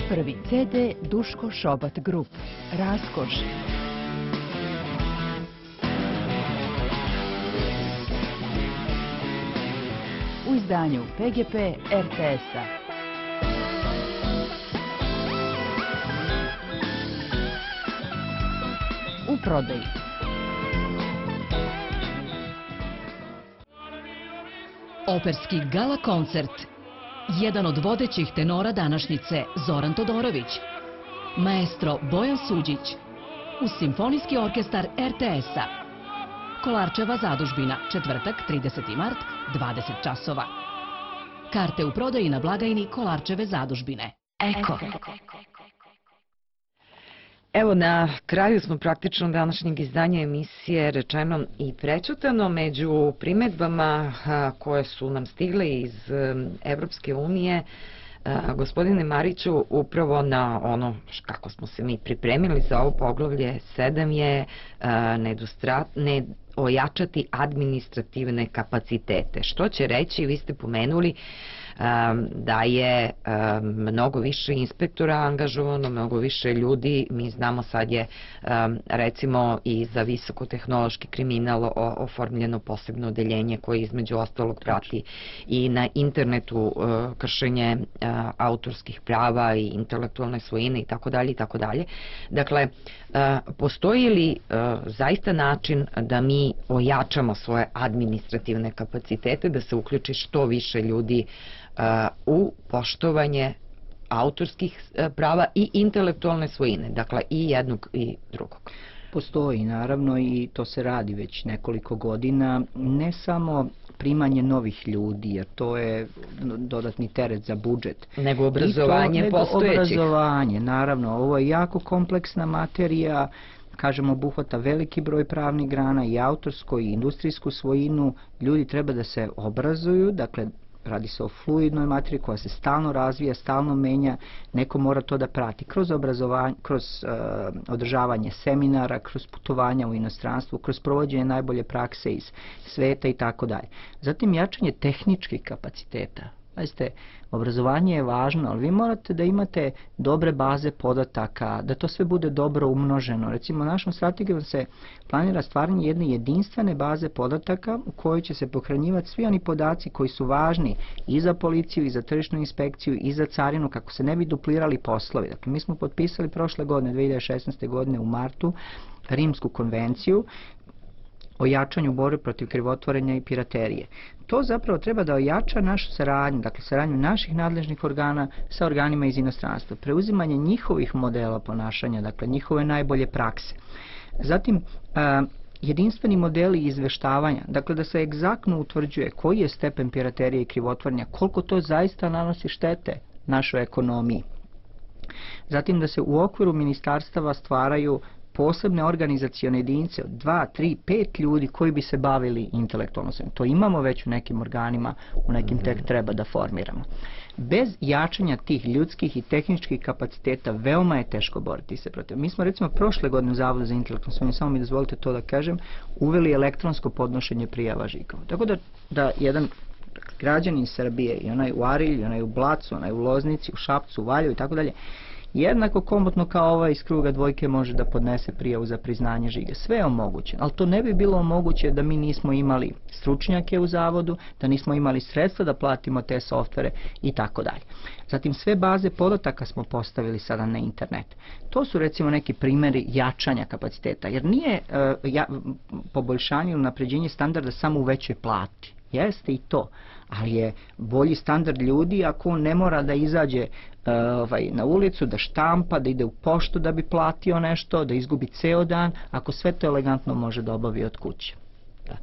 Prvi ce de Duško Šobat Grup. Raskoš. U izdanju pe ge pe er te es-a. U prodaji. Operski gala koncert. Jedan od vodećih tenora današnjice Zoran Todorović. Maestro Bojan Suđić. Uz Simfonijski orkestar er te es-a. Kolarčeva zadužbina, četvrtak, trideseti mart, dvadeset časova. Karte u prodaji na blagajni Kolarčeve zadužbine. Eko. Evo, na kraju smo praktično današnjeg izdanja emisije Rečeno i prećutano. Među primedbama koje su nam stigle iz Evropske unije, gospodine Mariću, upravo na ono kako smo se mi pripremili za ovo poglavlje sedam je ne ojačati administrativne kapacitete. Što će reći, vi ste pomenuli da je mnogo više inspektora angažovano, mnogo više ljudi. Mi znamo sad je recimo i za visokotehnološki kriminal oformljeno posebno odeljenje koje između ostalog prati i na internetu kršenje autorskih prava i intelektualne svojine i tako dalje i tako dalje. Dakle, postoji li zaista način da mi ojačamo svoje administrativne kapacitete, da se uključi što više ljudi u poštovanje autorskih prava i intelektualne svojine, dakle i jednog i drugog? Postoji, naravno, i to se radi već nekoliko godina, ne samo primanje novih ljudi, jer to je dodatni teret za budžet. Nego obrazovanje postojećih. Nego obrazovanje, naravno, ovo je jako kompleksna materija, kažemo, obuhvata veliki broj pravnih grana, i autorsku i industrijsku svojinu. Ljudi treba da se obrazuju, dakle, radi se o fluidnoj materiji koja se stalno razvija, stalno menja, neko mora to da prati kroz obrazovanje, kroz uh, održavanje seminara, kroz putovanja u inostranstvu, kroz provođenje najbolje prakse iz sveta i tako dalje. Zatim jačanje tehničkih kapaciteta. Znači, obrazovanje je važno, ali vi morate da imate dobre baze podataka, da to sve bude dobro umnoženo. Recimo, našom strategijom se planira stvaranje jedne jedinstvene baze podataka u kojoj će se pohranjivati svi oni podaci koji su važni i za policiju, i za tržišnu inspekciju, i za carinu, kako se ne bi duplirali poslovi. Dakle, mi smo potpisali prošle godine, dve hiljade šesnaeste. godine u martu, Rimsku konvenciju o jačanju borbe protiv krivotvorenja i piraterije. To zapravo treba da ojača našu saradnju, dakle saradnju naših nadležnih organa sa organima iz inostranstva, preuzimanje njihovih modela ponašanja, dakle njihove najbolje prakse. Zatim, a, jedinstveni modeli izveštavanja, dakle da se egzaktno utvrđuje koji je stepen piraterije i krivotvorenja, koliko to zaista nanosi štete našoj ekonomiji. Zatim da se u okviru ministarstava stvaraju posebne organizacione jedinice od dva, tri, pet ljudi koji bi se bavili intelektualnom svemirom. To imamo već u nekim organima, u nekim tek treba da formiramo. Bez jačanja tih ljudskih i tehničkih kapaciteta veoma je teško boriti se protiv. Mi smo recimo prošle godine u Zavodu za intelektualnu svemir, samo mi dozvolite to da kažem, uveli elektronsko podnošenje prijava žigova. Tako da, da jedan građanin Srbije, i onaj u Arilju, onaj u Blacu, onaj u Loznici, u Šapcu, u Valjevu i tako dalje, jednako komotno kao ovaj iz kruga dvojke može da podnese prijavu za priznanje žiga. Sve je omogućeno, ali to ne bi bilo moguće da mi nismo imali stručnjake u zavodu, da nismo imali sredstva da platimo te softvere i tako dalje. Zatim sve baze podataka smo postavili sada na internet. To su recimo neki primjeri jačanja kapaciteta, jer nije uh, ja, poboljšanje ili napređenje standarda samo u većoj plati. Jeste i to, ali je bolji standard ljudi ako on ne mora da izađe uh, ovaj, na ulicu, da štampa, da ide u poštu da bi platio nešto, da izgubi ceo dan, ako sve to elegantno može da obavi od kuće. Da.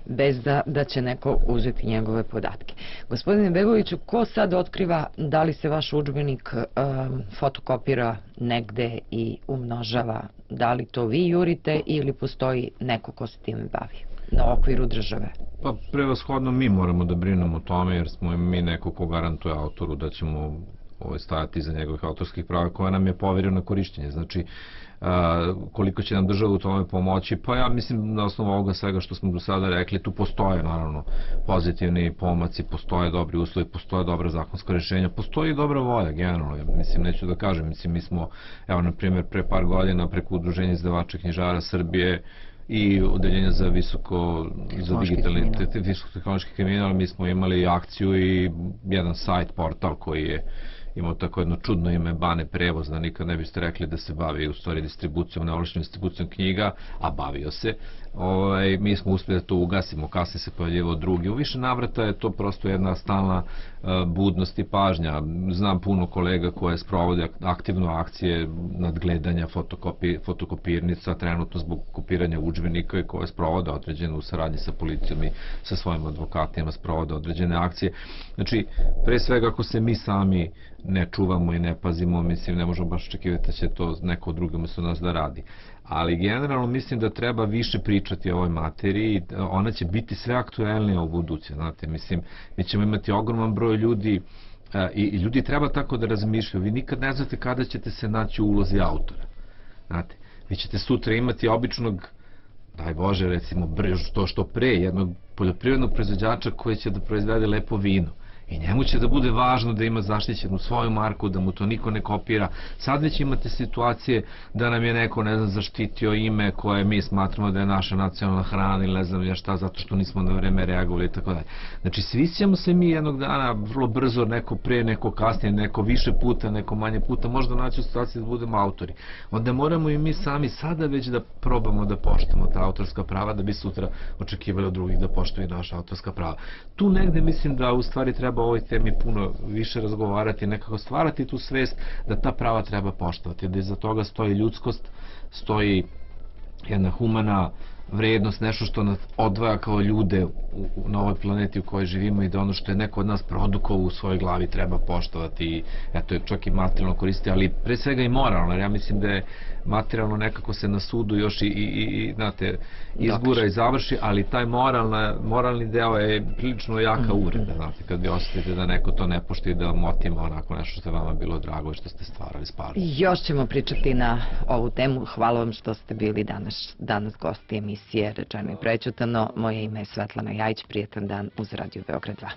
Bez da, da će neko uzeti njegove podatke. Gospodine Begoviću, ko sad otkriva da li se vaš udžbenik um, fotokopira negde i umnožava? Da li to vi jurite ili postoji neko ko se time bavi na okviru države? Pa prevashodno mi moramo da brinemo o tome, jer smo mi neko ko garantuje autoru da ćemo ovaj, stajati iza njegovih autorskih prava koja nam je poverio na korišćenje. Znači, a, koliko će nam država u tome pomoći, pa ja mislim na osnovu ovoga svega što smo do sada rekli, tu postoje naravno pozitivni pomaci, postoje dobri uslovi, postoje dobra zakonska rješenja, postoji i dobra volja generalno, ja mislim, neću da kažem, mislim, mi smo, evo na primjer, pre par godina preko Udruženja izdavača knjižara Srbije i odeljenja za visoko, za digitalni, visoko-tehnološki kriminal, mi smo imali akciju i jedan sajt, portal koji je imao tako jedno čudno ime Bane prevoz, da nikad ne biste rekli da se bavi u stvari distribucijom, neovlašćenom distribucijom knjiga, a bavio se. Ovaj, mi smo uspjeli da to ugasimo, kasnije se pojavljivao drugi. U više navrata je to prosto jedna stalna uh, budnost i pažnja. Znam puno kolega koje sprovode aktivno akcije nadgledanja fotokopi, fotokopirnica, trenutno zbog kopiranja udžbenika i koje sprovode određene u saradnji sa policijom i sa svojim advokatima sprovode određene akcije. Znači, pre svega ako se mi sami ne čuvamo i ne pazimo, mislim, ne možemo baš očekivati da će to neko drugi umjesto nas da radi. Ali generalno mislim da treba više pričati o ovoj materiji, ona će biti sve aktuelnija u buduće, znate, mislim, mi ćemo imati ogroman broj ljudi i, i ljudi treba tako da razmišljaju, vi nikad ne znate kada ćete se naći u ulozi autora, znate, vi ćete sutra imati običnog, daj Bože, recimo, to što pre, jednog poljoprivrednog proizvođača koji će da proizvede lepo vino. I njemu će da bude važno da ima zaštićenu svoju marku, da mu to niko ne kopira. Sad već imate situacije da nam je neko, ne znam, zaštitio ime koje mi smatramo da je naša nacionalna hrana ili ne znam ja šta, zato što nismo na vreme reagovali i tako dalje. Znači, svi ćemo se mi jednog dana vrlo brzo, neko pre, neko kasnije, neko više puta, neko manje puta, možda naći u situaciji da budemo autori. Onda moramo i mi sami sada već da probamo da poštujemo ta autorska prava, da bi sutra očekivali od drugih da poštuju naša autorska prava. Tu negde mislim da u stvari treba o ovoj temi puno više razgovarati, nekako stvarati tu svest da ta prava treba poštovati, da iza toga stoji ljudskost, stoji jedna humana vrednost, nešto što nas odvaja kao ljude u, u, na ovoj planeti u kojoj živimo i da ono što je neko od nas produkovao u svojoj glavi treba poštovati i eto, čak i materijalno koristiti, ali pre svega i moralno, jer ja mislim da je materijalno nekako se na sudu još i, i, i znate, izgura i završi, ali taj moralna, moralni deo je prilično jaka uvreda, znate, kad vi osjetite da neko to ne poštuje i da vam otima onako nešto što je vama bilo drago i što ste stvarali s pažnjom. Još ćemo pričati na ovu temu. Hvala vam što ste bili danas, danas gosti emisije Rečeno i prećutano. Moje ime je Svetlana Jajić, prijetan dan uz Radio Beograd dva.